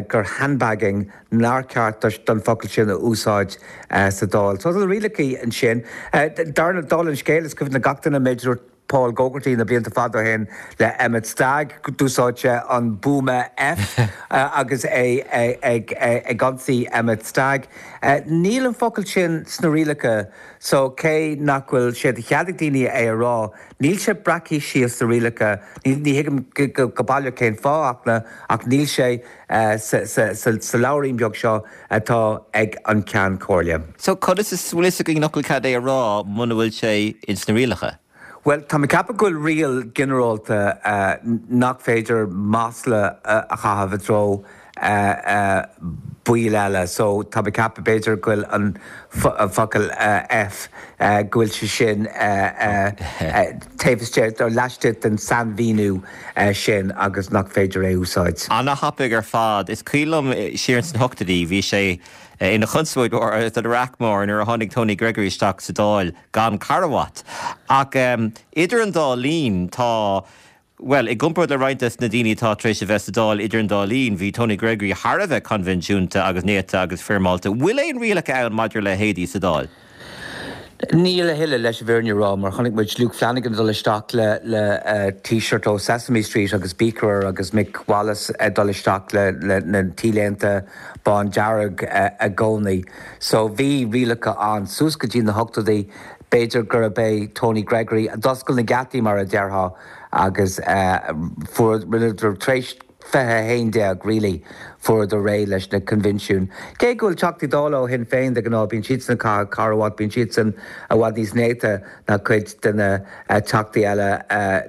Speaker 6: gur handbagging nár cheart don focal sin a úsáid sa Dáil. So tá na rialacha ansin. Dála an scéil, is cuimhin le gach duine an méid a dúirt Paul Gogarty na blianta fada ó shin le Emmet Stagg, d'úsáid sé an buama F agus é ag ionsaí Emmet Stagg. Níl an focal sin sna rialacha so cé nach bhfuil sé de chead ag daoine é a rá, níl sé breactha síos sna rialacha. Ní thuigim go baileach cén fáth ach níl sé sa leabhairín beag seo atá ag an Ceann Comhairle.
Speaker 1: So conas is bhfuil fhios againn nach bhfuil cead é a rá muna bhfuil sé ins na rialacha?
Speaker 6: Bhuel, tá mé ag ceapadh go bhfuil riail ginearálta nach féidir masla a chaitheamh i dtreo baill eile. So tá mé ag ceapadh b'fhéidir go bhfuil an focal F, go bhfuil sé sin taobh istigh nó laistigh den sainmhíniú sin agus nach féidir é a úsáid.
Speaker 1: Ana-thapaidh ar fad. Is cuimhin liom siar ins na hochtóidí, bhí sé ina chonspóid mhór agus ina raic mór nuair a tháinig Tony Gregory isteach sa Dáil gan carbhat. Ach idir an dá linn tá, bhuel, i gcomparáid le roinnt des na daoine atá tar éis a bheith sa Dáil idir an dá linn, bhí Tony Gregory thar a bheith coinbhinsiúnta agus néata agus foirmeálta. Bhfuil aon rialacha ann maidir le héadaí sa Dáil?
Speaker 6: Níl a thuilleadh, leis an bhfírinne a rá, mar chonaic muid Luke Flanagan ag dul isteach le le T-shirt ó Sesame Street agus beaker air agus Mick Wallace ag dul isteach le le na T-léinte bán dearg i gcónaí. So bhí rialacha ann suas go dtí na hochtóidí. B'fhéidir gurb é Tony Gregory a d'oscail na geataí mar a déarfá agus fuair, rinneadar tar éis fiche a haon déag really, fuaireadar réidh leis na coinbhinsiúin. Cé go bhfuil Teachtaí Dála ó Shinn Féin de ghnáth, bíonn siadsan ag caitheamh carbhat, bíonn siadsan i bhfad níos néata ná cuid de na Teachtaí eile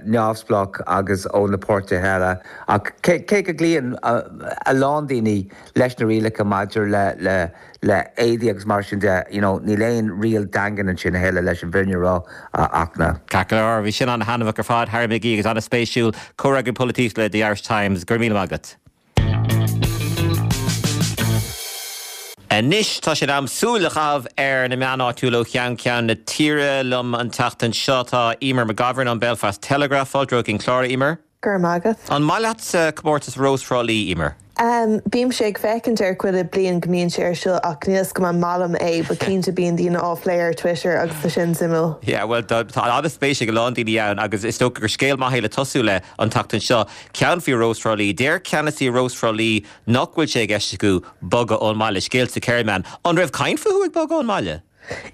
Speaker 6: neamhspleách agus ó na páirtithe eile. Ach cé go gcloíonn a lán daoine leis na rialacha maidir le le le éadaí agus mar sin de, you know, níl aon riail daingean ansin a thuilleadh leis an bhfírinne a rá, a Fhachtna.
Speaker 1: Ceart go leor, bhí sin an-thaitneamhach ar fad, Harry McGee, agus an-spéisiúil. Comhfhreagraí Polaitíochta le The Irish Times, go raibh míle maith agat. Anois tá sé in am súil a chaitheamh ar na meáin áitiúla ó cheann ceann na tíre. Liom an tseachtain seo tá Eimear McGovern ón Belfast Telegraph. Fáilte romhat chuig an clár, a Eimear.
Speaker 7: Go raibh maith agat.
Speaker 1: An maith leatsa comórtas Rós Thrá Lí, Eimear?
Speaker 7: Em, bímse ag féachaint air chuile bliain go mbíonn sé ar siúl ach níl 'fhios agam an maith liom é but cinnte bíonn daoine á phlé ar Twitter agus tá sin suimiúil.
Speaker 1: Yeah, bhuel tá tá an-spéis ag a lán daoine ann agus is dócha gur scéal maith é le tosú le an tseachtain seo. Ceann faoi Rós Thrá Lí. Deir ceannasaí Rós Thrá Lí nach bhfuil sé i gceist acu bogadh ón mbaile. Scéal sa Kerryman. An raibh caint fúthu ag bogadh ón mbaile?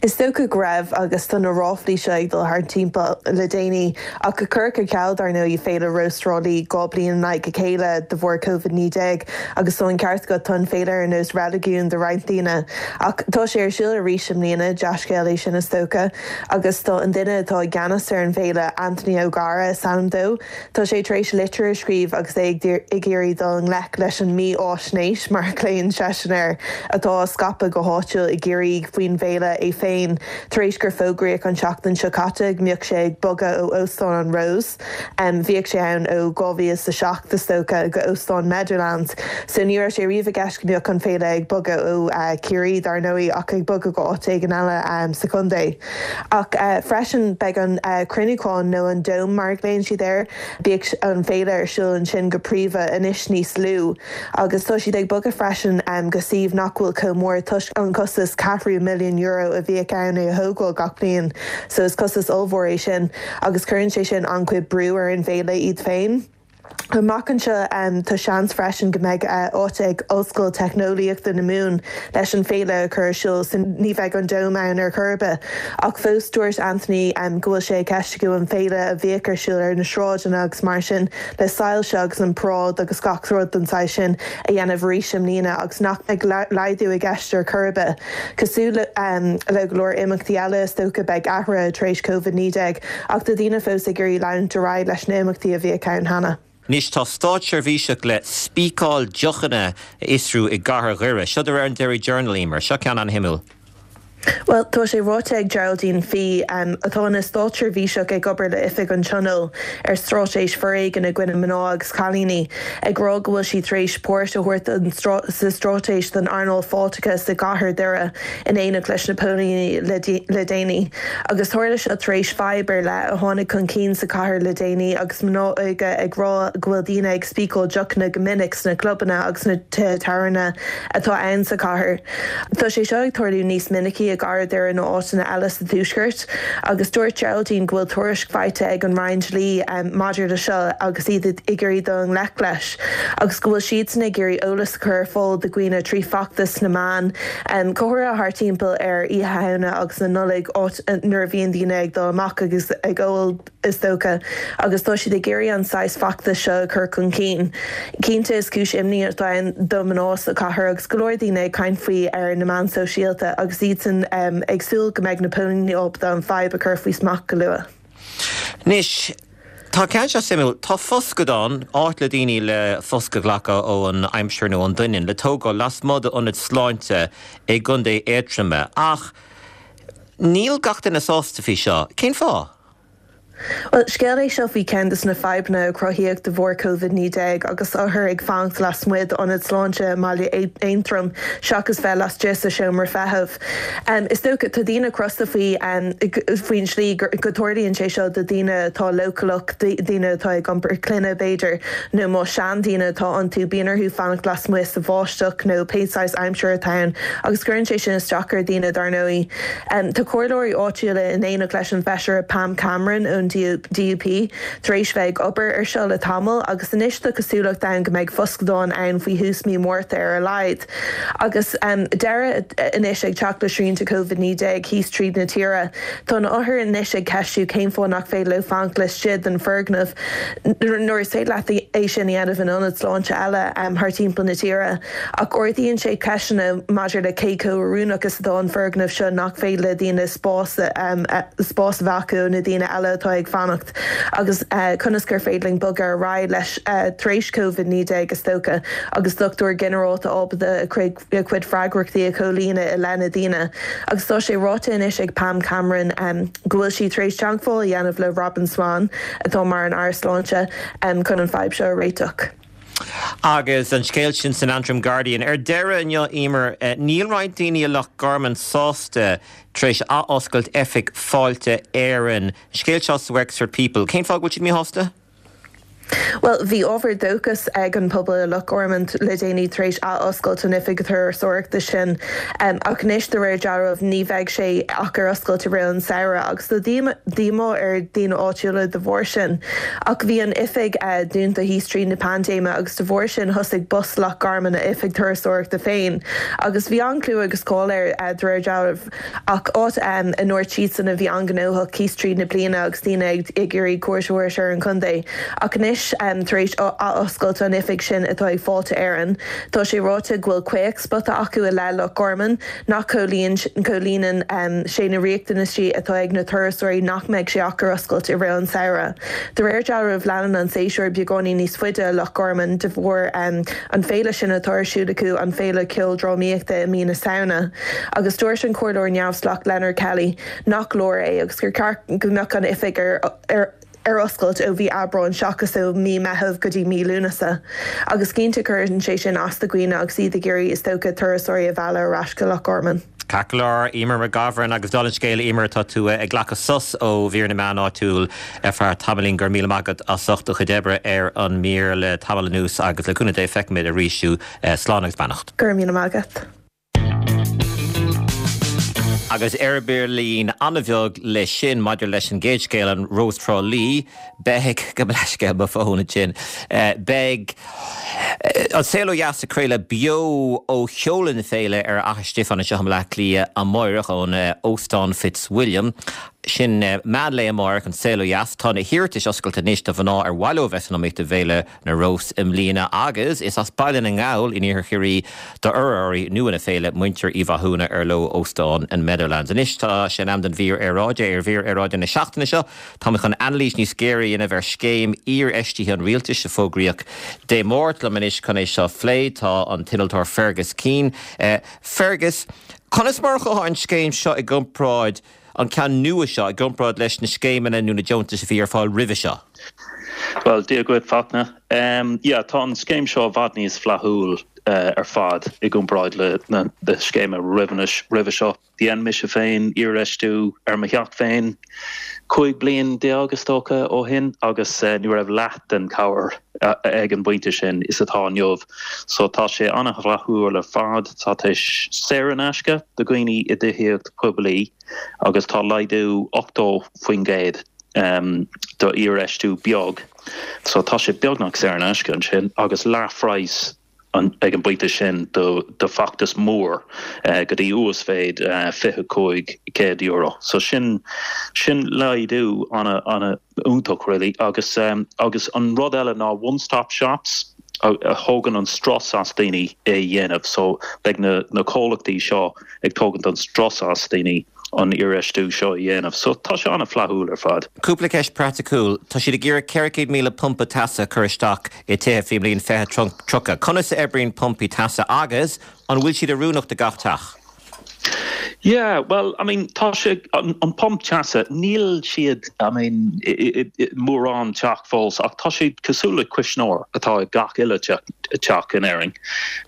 Speaker 7: Is dócha go raibh, agus tá na ráflaí seo ag dul thart timpeall le déanaí, ach cuireadh ar ceal, dar ndóigh, Féile Rós Thrá Lí dhá bliain in aghaidh a chéile de bharr Covid naoi déag, agus tá an ceart agat, tá an féile ar nós reiligiún do roinnt daoine. Ach tá sé ar siúl arís i mbliana, dea-scéal é sin is dócha, agus tá an duine atá i gceannas ar an bhféile, Anthony O'Gara is ainm dó, tá sé tar éis litir a scríobh agus é ag iarraidh dul i ngleic leis an mí-fháisnéis, mar a ghlaonn seisean air, atá á scaipeadh go háitiúil i gCiarraí faoin bhféile. é féin tar éis gur fógraíodh an tseachtain seo caite go mbeadh sé ag bogadh ó Óstán an Rose. Um, bhíodh sé ann ó dhá mhíle is a seacht is dócha go Óstán Meadowlands. So ní raibh sé riamh i gceist go mbeadh an féile ag bogadh ó uh, Ciarraí dar ndóigh ach ag bogadh go áit éigin eile um, sa chontae. Ach uh, freisin beidh an uh, cruinniúchán nó an Dome mar a ghlaonn siad air, bíodh an féile ar siúl ansin go príomha anois níos lú. Agus tá siad ag bogadh freisin um, go suíomh nach bhfuil chomh mór toisc an costas ceathrú milliún euro a bhíodh ann é a thógáil gach bliain, so is costas ollmhór é sin agus cuireann sé sin an-chuid brú ar an bhféile iad féin. Amach anseo um, tá seans freisin go mbeidh uh, áit ag Ollscoil Teicneolaíochta na Mumhan leis an féile a chur ar siúl so ní bheidh an Dome ann ar chor ar bith. Ach fós dúirt Anthony um, go bhfuil sé i gceist acu an féile a bhíodh ar siúl ar na sráideanna agus mar sin le soilse agus an paráid agus gach rud den saghas sin a dhéanamh arís i mbliana agus nach mbeidh laghdú i gceist ar chor ar bith. Cosúil le, um, le go leor imeachtaí eile is dócha beidh athruithe tar éis Covid naoi déag ach tá daoine fós ag iarraidh leanúint ar aghaidh leis na himeachtaí a bhíodh ann cheana.
Speaker 1: Anois tá státseirbhíseach le spíceáil deochanna a fhiosrú i gcathair Dhoire. Seo de réir an Derry Journal, Emer. Seo ceann an-shuimiúil.
Speaker 7: Bhuel, tá sé ráite ag Geraldine Fee, um, atá ina státseirbhíseach ag obair le Oifig an Tionóil ar straitéis foréigin i gcoinne mná agus cailíní, ag rá go bhfuil sí tar éis páirt a thabhairt sa straitéis don earnáil fáilteachais i gcathair Dhoire in éineacht leis na póilíní le déanaí. Agus tharla seo tar éis fadhb ar leith a tháinig chun cinn sa chathair le déanaí agus mná óga ag rá go bhfuil daoine ag spíceáil deochanna go minic sna clubanna agus na tithe tábhairne atá ann sa chathair. Tá sé seo ag tarlú níos minicí i gcathair Dhoire ná áiteanna eile sa tuaisceart, agus dúirt Geraldine go bhfuil tuairisc faighte ag an Roinn Dlí maidir le seo agus iad ag iarraidh dul i ngleic leis, agus go bhfuil siadsan ag iarraidh eolas a chur ar fáil do dhaoine trí feachtas sna meáin, go háirithe thart timpeall ar Oíche Shamhna agus na Nollag, áit nuair a bhíonn daoine ag dul amach agus ag ól. is dócha, agus tá siad ag iarraidh an saghas feachtais seo a chur chun cinn. Cinnte is cúis imní atá ann do mhná sa chathair agus go leor daoine ag caint faoi ar na meáin sóisialta agus iadsan ag súil go mbeidh na póilíní ábalta an fadhb a chur faoi smacht go luath.
Speaker 1: Anois, tá ceann seo suimiúil. Tá foscadán, áit le daoine le foscadh a ghlacadh ó an aimsir nó an doineann, le tógáil lasmuigh d'ionad sláinte i gContae Aontroma. Ach níl gach duine sásta faoi seo. Cén fáth?
Speaker 7: Bhuel, scéal é seo faoi cheann de na fadhbanna a cruthaíodh de bharr Covid naoi déag agus othair ag fanacht lasmuigh d'ionad sláinte i mbaile Aontroim seachas bheith laistigh sa seomra feithimh. Is dócha, tá daoine crosta faoi faoin slí go dtarlaíonn sé seo do dhaoine atá leochaileach, daoine atá ag iompar clainne b'fhéidir, nó más seandaoine atá iontu, bíonn orthu fanacht lasmuigh sa bháisteach nó pé saghas aimsir atá ann agus cuireann sé sin isteach ar dhaoine dar ndóigh. Tá comhairleoirí áitiúla in éineacht leis an bhfeisire Pam Cameron ón D U P tar éis bheith ag obair ar seo le tamall agus anois tá cosúlacht ann go mbeidh foscadán ann faoi thús mí Márta ar a laghad. Agus deireadh anois ag teacht le srianta Covid naoi déag thíos tríd na tíre, tá na hothair anois ag ceistiú cén fáth nach féidir leo fanacht laistigh den foirgneamh nuair is féidir leat é sin a dhéanamh in ionad sláinte eile thar timpeall na tíre. Ach ardaíonn sé ceisteanna maidir le cé chomh oiriúnach is atá an foirgneamh seo nach féidir le daoine spás spás a bheith acu ó na daoine eile atá ag fanacht agus conas gur féidir linn bogadh ar aghaidh leis tar éis Covid naoi déag is dócha agus dochtúir ginearálta ábalta a chuid freagrachtaí a chomhlíonadh i leith na daoine. Agus tá sé ráite anois ag Pam Cameron go bhfuil sí tar éis teagmháil a dhéanamh le Robin Swann atá mar an Aire Sláinte chun an fadhb seo a réiteach.
Speaker 1: Agus an scéal sin san Antrim Guardian. Ar deireadh inniu, Emer, níl roinnt daoine i Loch Garman sásta tar éis athoscailt oifig Fáilte Éireann. Scéal seo sa Wexford People. Cén fáth go bhfuil siad míshásta?
Speaker 7: Bhuel, bhí ábhar dóchais ag an pobal i Loch Garman le déanaí tar éis athoscailt an oifig turasóireachta sin ach anois de réir dealraimh ní bheidh sé ach ar oscailt i rith an samhradh agus tá díomá ar daoine áitiúla de bharr sin. Ach bhí an oifig dúnta thíos tríd na paindéime agus de bharr sin thosaigh Bus Loch Garman a oifig turasóireachta féin agus bhí an-chlú agus cáil air de réir dealraimh ach áit a ndúirt siadsan a bhí an-ghnóthach thíos tríd na bliana agus daoine ag iarraidh cuairt a thabhairt ar an chontae. Ach anois anois tar éis athoscailt an oifig sin atá ag Fáilte Éireann. Tá sé ráite go bhfuil caochspota acu i leith Loch Garman nach comhlíonann sé na riachtanaisí atá ag na turasóirí nach mbeidh sé ach ar oscailt i rith an samhradh. De réir dealraimh leanann an séasúr beagáinín níos faide i Loch Garman de bharr an féile sin atá ar siúl acu an féile ceoldrámaíochta i mí na Samhna. Agus dúirt an comhairleoir neamhspleách Leonard Kelly nach leor é agus gur ceart go mbeadh an oifig ar ar ar oscailt ó mhí Aibreáin seachas ó mí Meitheamh go dtí mí Lúnasa. Agus cinnte cuireann sé sin as do dhaoine agus iad ag iarraidh is dócha turasóirí a mhealladh ar ais go Loch Garman.
Speaker 1: Ceart go leor, Eimear McGovern agus dála an scéil Eimear tá tú ag glacadh sos ó mhír na meán áitiúil ar feadh tamaillín go raibh míle maith agat as ucht do chuid oibre ar an mír le tamall anuas agus le cúnamh Dé feicfimid arís thú slán agus beannacht.
Speaker 7: Go raibh míle maith agat.
Speaker 1: Agus eirbillín an-bheag leis sin maidir leis an gcéad scéal an Rós Trá Lí, beidh go leisce mo fón sin. Beidh an Saol Ó Dheas ag craoladh beo ó sheoladh na féile ar Fhaiche Stiofáin anseo i mBaile Átha Cliath amárach ón Óstán Fitzwilliam. Sin meán lae amárach an Saol Ó Dheas. Tá na hiarratais oscailte anois do mhná ar mhaith leo bheith san iomaíocht do Fhéile na Rós i mbliana agus is as Baile na nGall in iarthar Chiarraí d'urraitheoirí nua na féile muintir Uí Mhathúna ar leo Óstán an Meadowlands. Anois tá sé in am don mhír aeráide ar mhír aeráide na seachtaine seo. Tá chun anailís níos géire a dhéanamh ar scéim iarfheistithe an rialtais a fógraíodh Dé Máirt liom anois chun é seo a phlé tá an t-innealtóir Fergus Keane. Uh, Fergus, conas mar atá an scéim seo i gcomparáid an ceann nua seo i gcomparáid leis na scéimeanna nó na deontais a bhí ar fáil roimhe seo.
Speaker 8: Well Dia duit Fachtna. Um, yeah, tá an scéim seo i bhfad níos flaithiúil uh, ar fad i gcomparáid le na, na scéime roimhe seo. Dhein mise féin iarfheistiú ar mo theach féin cúig bliain déag is dócha ó shin agus uh, ní raibh leath den cabhair uh, ag an bpointe sin is atá inniu. So tá sé an-fhlaithiúil ar fad tá sé saor in aisce do dhaoine i dtithíocht poiblí agus tá laghdú ochtó faoin gcéad um, do iarfheistiú beag. So tá sé beagnach saor in aisce ansin agus leathphraghas an, ag an bpointe sin do, do feachtas mór uh, go dtí uasmhéid uh, fiche cúig céad euro. So sin sin laghdú an an iontach really agus um, agus an rud eile ná one-stop shops a, a thógann an strus as daoine é dhéanamh, so beidh na, na comhlachtaí seo ag tógaint an strus as daoine an iarfheistiú seo a dhéanamh. So tá sé an-fhlaithiúil ar fad.
Speaker 1: Cúpla ceist praiticiúil, Tá siad ag iarraidh ceithre chéad míle pumpa teasa chur isteach i dtithe faoin mbliain fiche tríocha. Conas a oibríonn pumpaí teasa agus an bhfuil siad oiriúnach do gach teach?
Speaker 8: Yeah, well, I mean tá sé an, an pump teasa níl siad I mean mórán teach fós ach tá siad cosúil le cuisneoir atá ag gach uile teach in Éirinn.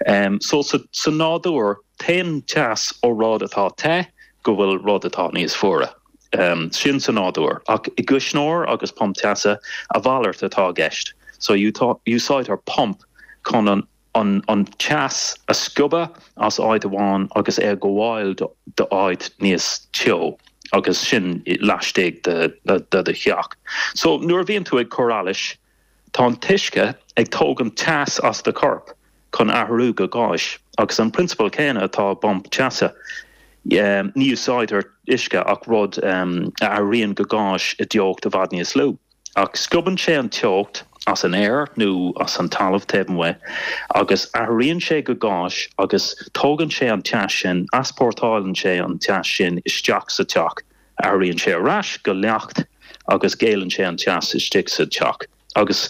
Speaker 8: Um, so sa, sa nádúr téann teas ó rud atá te go bhfuil rud atá níos fuaire. Um, sin sa nádúr ach i gcuisneoir agus pump teasa a mhalairt atá i gceist. So úsáidtear pump chun an an, an teas a scuabadh as áit amháin agus é gabháil do áit níos teo agus sin laistigh de, de, de do theach. So nuair a bhíonn tú ag cur allais, tá an t-uisce ag tógaint teas as do chorp chun athrú go gáis, agus an prionsabal céanna atá i bpump teasa. Um, ní úsáidtear uisce ach rud um, a athraíonn go gáis i dteocht i bhfad níos lú. Ach scuabann sé an teocht as an aer nó as an talamh taobh amuigh, agus athraíonn sé go gáis agus tógann sé an teas sin, easpórtálann sé an teas sin isteach sa teach, athraíonn sé ar ais go leacht agus géilleann sé an teas istigh sa teach. Agus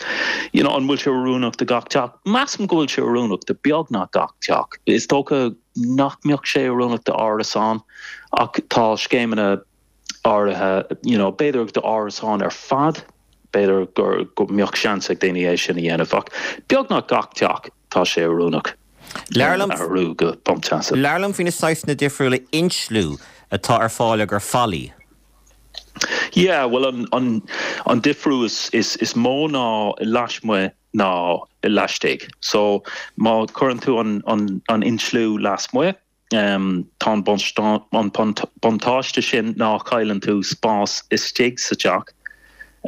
Speaker 8: you know, an bhfuil sé oiriúnach do gach teach, Measaim go bhfuil sé oiriúnach do beagnach gach teach. Is dócha nach mbeadh sé oiriúnach d'árasán ach tá scéimeanna áirithe you know, b'fhéidir d'árasán ar fad, b'fhéidir gur go mbeadh seans ag daoine é sin a dhéanamh ach beagnach gach teach tá sé oiriúnach. Athrú go pump teasa.
Speaker 1: Labhair liom faoi na saghsanna difriúla insliú atá ar fáil ar fallaí.
Speaker 8: Yeah, well an an an difriú is is is mó ná lasmuigh ná laistigh. So má chuireann tú an an an insliú lasmuigh, um, tá an buntáiste sin ná cailleann tú spás istigh sa teach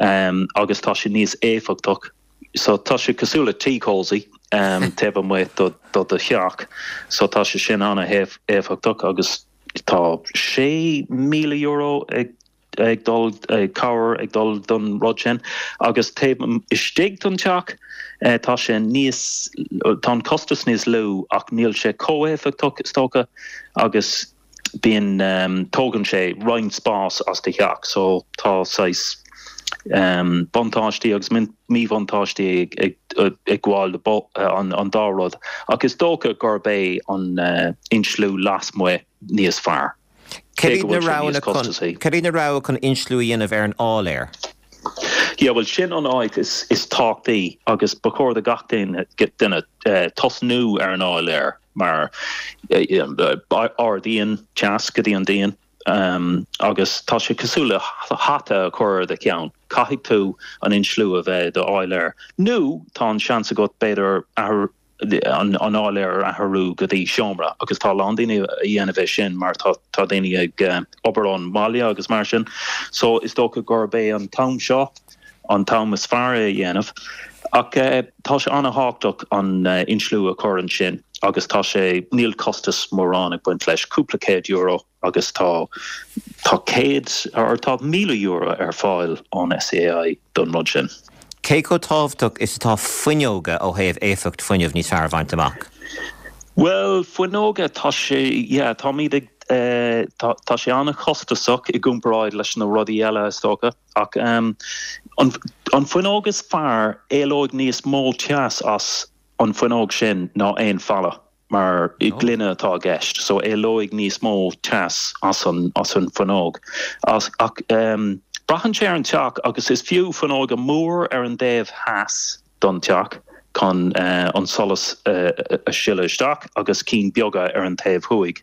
Speaker 8: um, agus tá sé níos éifeachtach. So tá sé cosúil le tea cosy um, taobh amuigh do do do theach, so tá sé sin an-éifeachtach agus tá sé míle euro ag ag dul cabhair ag dul don rud sin agus taobh istigh den teach tá sé níos tá an costas níos lú ach níl sé chomh héifeachtach is dócha agus bíonn um, tógann sé roinnt spás as do theach so tá saghas um, buntáistí agus míbhuntáistí ag, ag, ag gabháil an, an dá rud ach is dócha gurb é an uh, insliú lasmuigh níos fearr.
Speaker 1: Cé na roghanna chun insliú a dhéanamh ar an áiléar?
Speaker 8: Ja, well sin an áit is, is tábhachtaí agus ba chóir do gach duine duine uh, tosnú ar an áiléar mar uh, ardaíonn teas go dtí an díon um, agus tá sé cosúil le hata a chur ar do cheann. Caithfidh tú an insliú a bheith do áiléar. Nó tá an seans agat b'fhéidir an an áiléar athrú go dtí seomra agus tá lán daoine a dhéanamh é sin mar tá tá daoine ag uh, obair ón mbaile agus mar sin. So is dócha gurb é an t-am seo an t-am is fearr é a dhéanamh. Ach uh, tá sé an-tábhachtach an uh, insliú a chur ansin agus tá sé níl costas mórán ag baint leis cúpla céad euro agus tá tá céad or tá míle euro ar fáil ón SEAI don rud sin.
Speaker 1: Cé chomh tábhachtach is atá fuinneoga ó thaobh éifeacht fuinnimh níos fearr a bhaint amach?
Speaker 8: Well fuinneoga tá sé yeah, tá míad ag uh, tá, tá sé an-chostasach i gcomparáid leis na rudaí eile is dócha ach um, an, an fuinneog is fearr éalóidh níos mó teas as an fuinneog sin ná aon falla mar i oh. gloine atá i gceist, so éalóidh níos mó teas as an as an fuinneog. As, ach um, braitheann sé ar an teach agus is fiú fuinneoga mór ar an dtaobh theas don teach chun uh, an solas uh, a sileadh isteach agus cinn beaga ar an taobh thuaidh.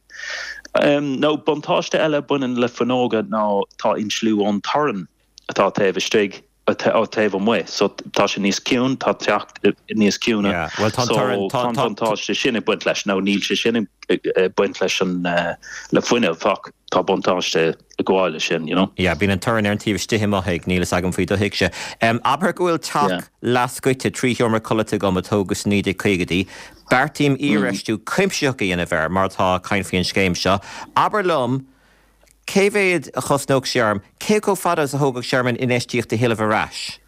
Speaker 8: Um, nó buntáiste eile baineann le fuinneoga ná tá insliú ón torann atá taobh istigh ó taobh amuigh, so tá sé níos ciúine tá teach níos ciúine
Speaker 1: well tá
Speaker 8: so buntáiste sin ag baint leis nó níl sé sin ag baint leis an uh, le fuinneamh ach tá buntáiste ag gabháil sin you know.
Speaker 1: Ja, bíonn an torann ar an taobh istigh amuigh níl a fhios agam faoi do theachsa. Um, Abair go bhfuil teach yeah. leathscoite trí sheomra codlata agam a tógadh sna naoi déag caogaidí, Beartaím iarfheistiú mm. cuimsitheach a dhéanamh air mar tá caint faoin scéim seo. Abair liom, Cé mhéad a chosnódh sé orm, cé chomh fada is a thógfadh sé orm an infheistíocht a thuilleamh ar ais?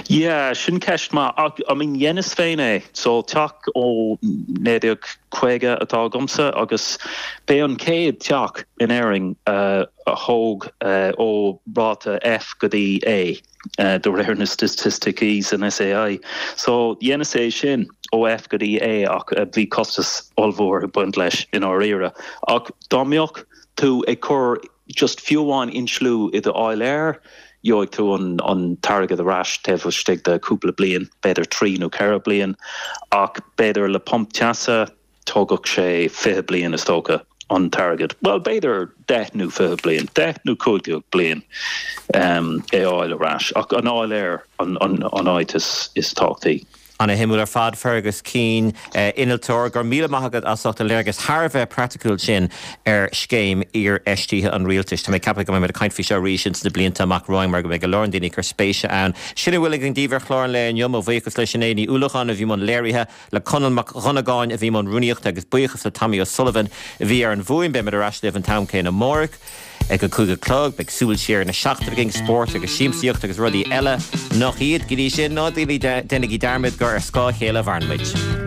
Speaker 8: Yeah, sin ceist maith ach I mean dheineas féin é, so teach ó naoi déag caoga atá agamsa agus b'é an chéad teach in Éirinn uh, a thóg uh, ó ráta F go dtí A. Uh, de réir na staitisticí san SEAI. So dheineas é sin ó F go dtí A ach uh, bhí costas ollmhór ag baint leis i ndáiríre. Ach dá mbeadh tú ag cur just fiú amháin insliú i do áiléar, gheobhaidh tú an, an t-airgead ar ais taobh istigh de cúpla bliain, b'fhéidir trí nó ceithre bliain, ach b'fhéidir le pump teasa tógfadh sé fiche bliain is dócha an t-airgead. Well b'fhéidir deich nó fiche bliain, deich nó cúig déag bliain um, é a fháil ar ais, ach an áiléar an, an, an áit is, is tábhachtaí.
Speaker 1: Ana-shuimiúil ar fad Fergus Keane, innealtóir, go raibh míle maith agat as ucht an léargas thar a bheith praiticiúil sin ar scéim iarfheistithe an rialtais. Tá mé ag ceapadh go mbeidh muid ag caint faoi seo arís ins na blianta amach romhainn mar go mbeidh go leor daoine ag cur spéise ann. Sin a bhfuil againn daoibh ar chlár an lae inniu, mo bhuíochas le Sinéad Ní Uallacháin a bhí i mbun léirithe, le Conall Mac Dhonnagáin a bhí i mbun rúnaíochta agus buíochas le Tommy O'Sullivan a bhí ar an bhfuaim. Beimid ar ais libh an t-am céanna amárach. Ag a cúig a chlog, beidh súil siar ar na seachtaine againn, spórt agus siamsaíocht agus rudaí eile nach iad. Go dtí sin, ná déanaigí dearmad gur ar scáth a chéile a mhaireann muid.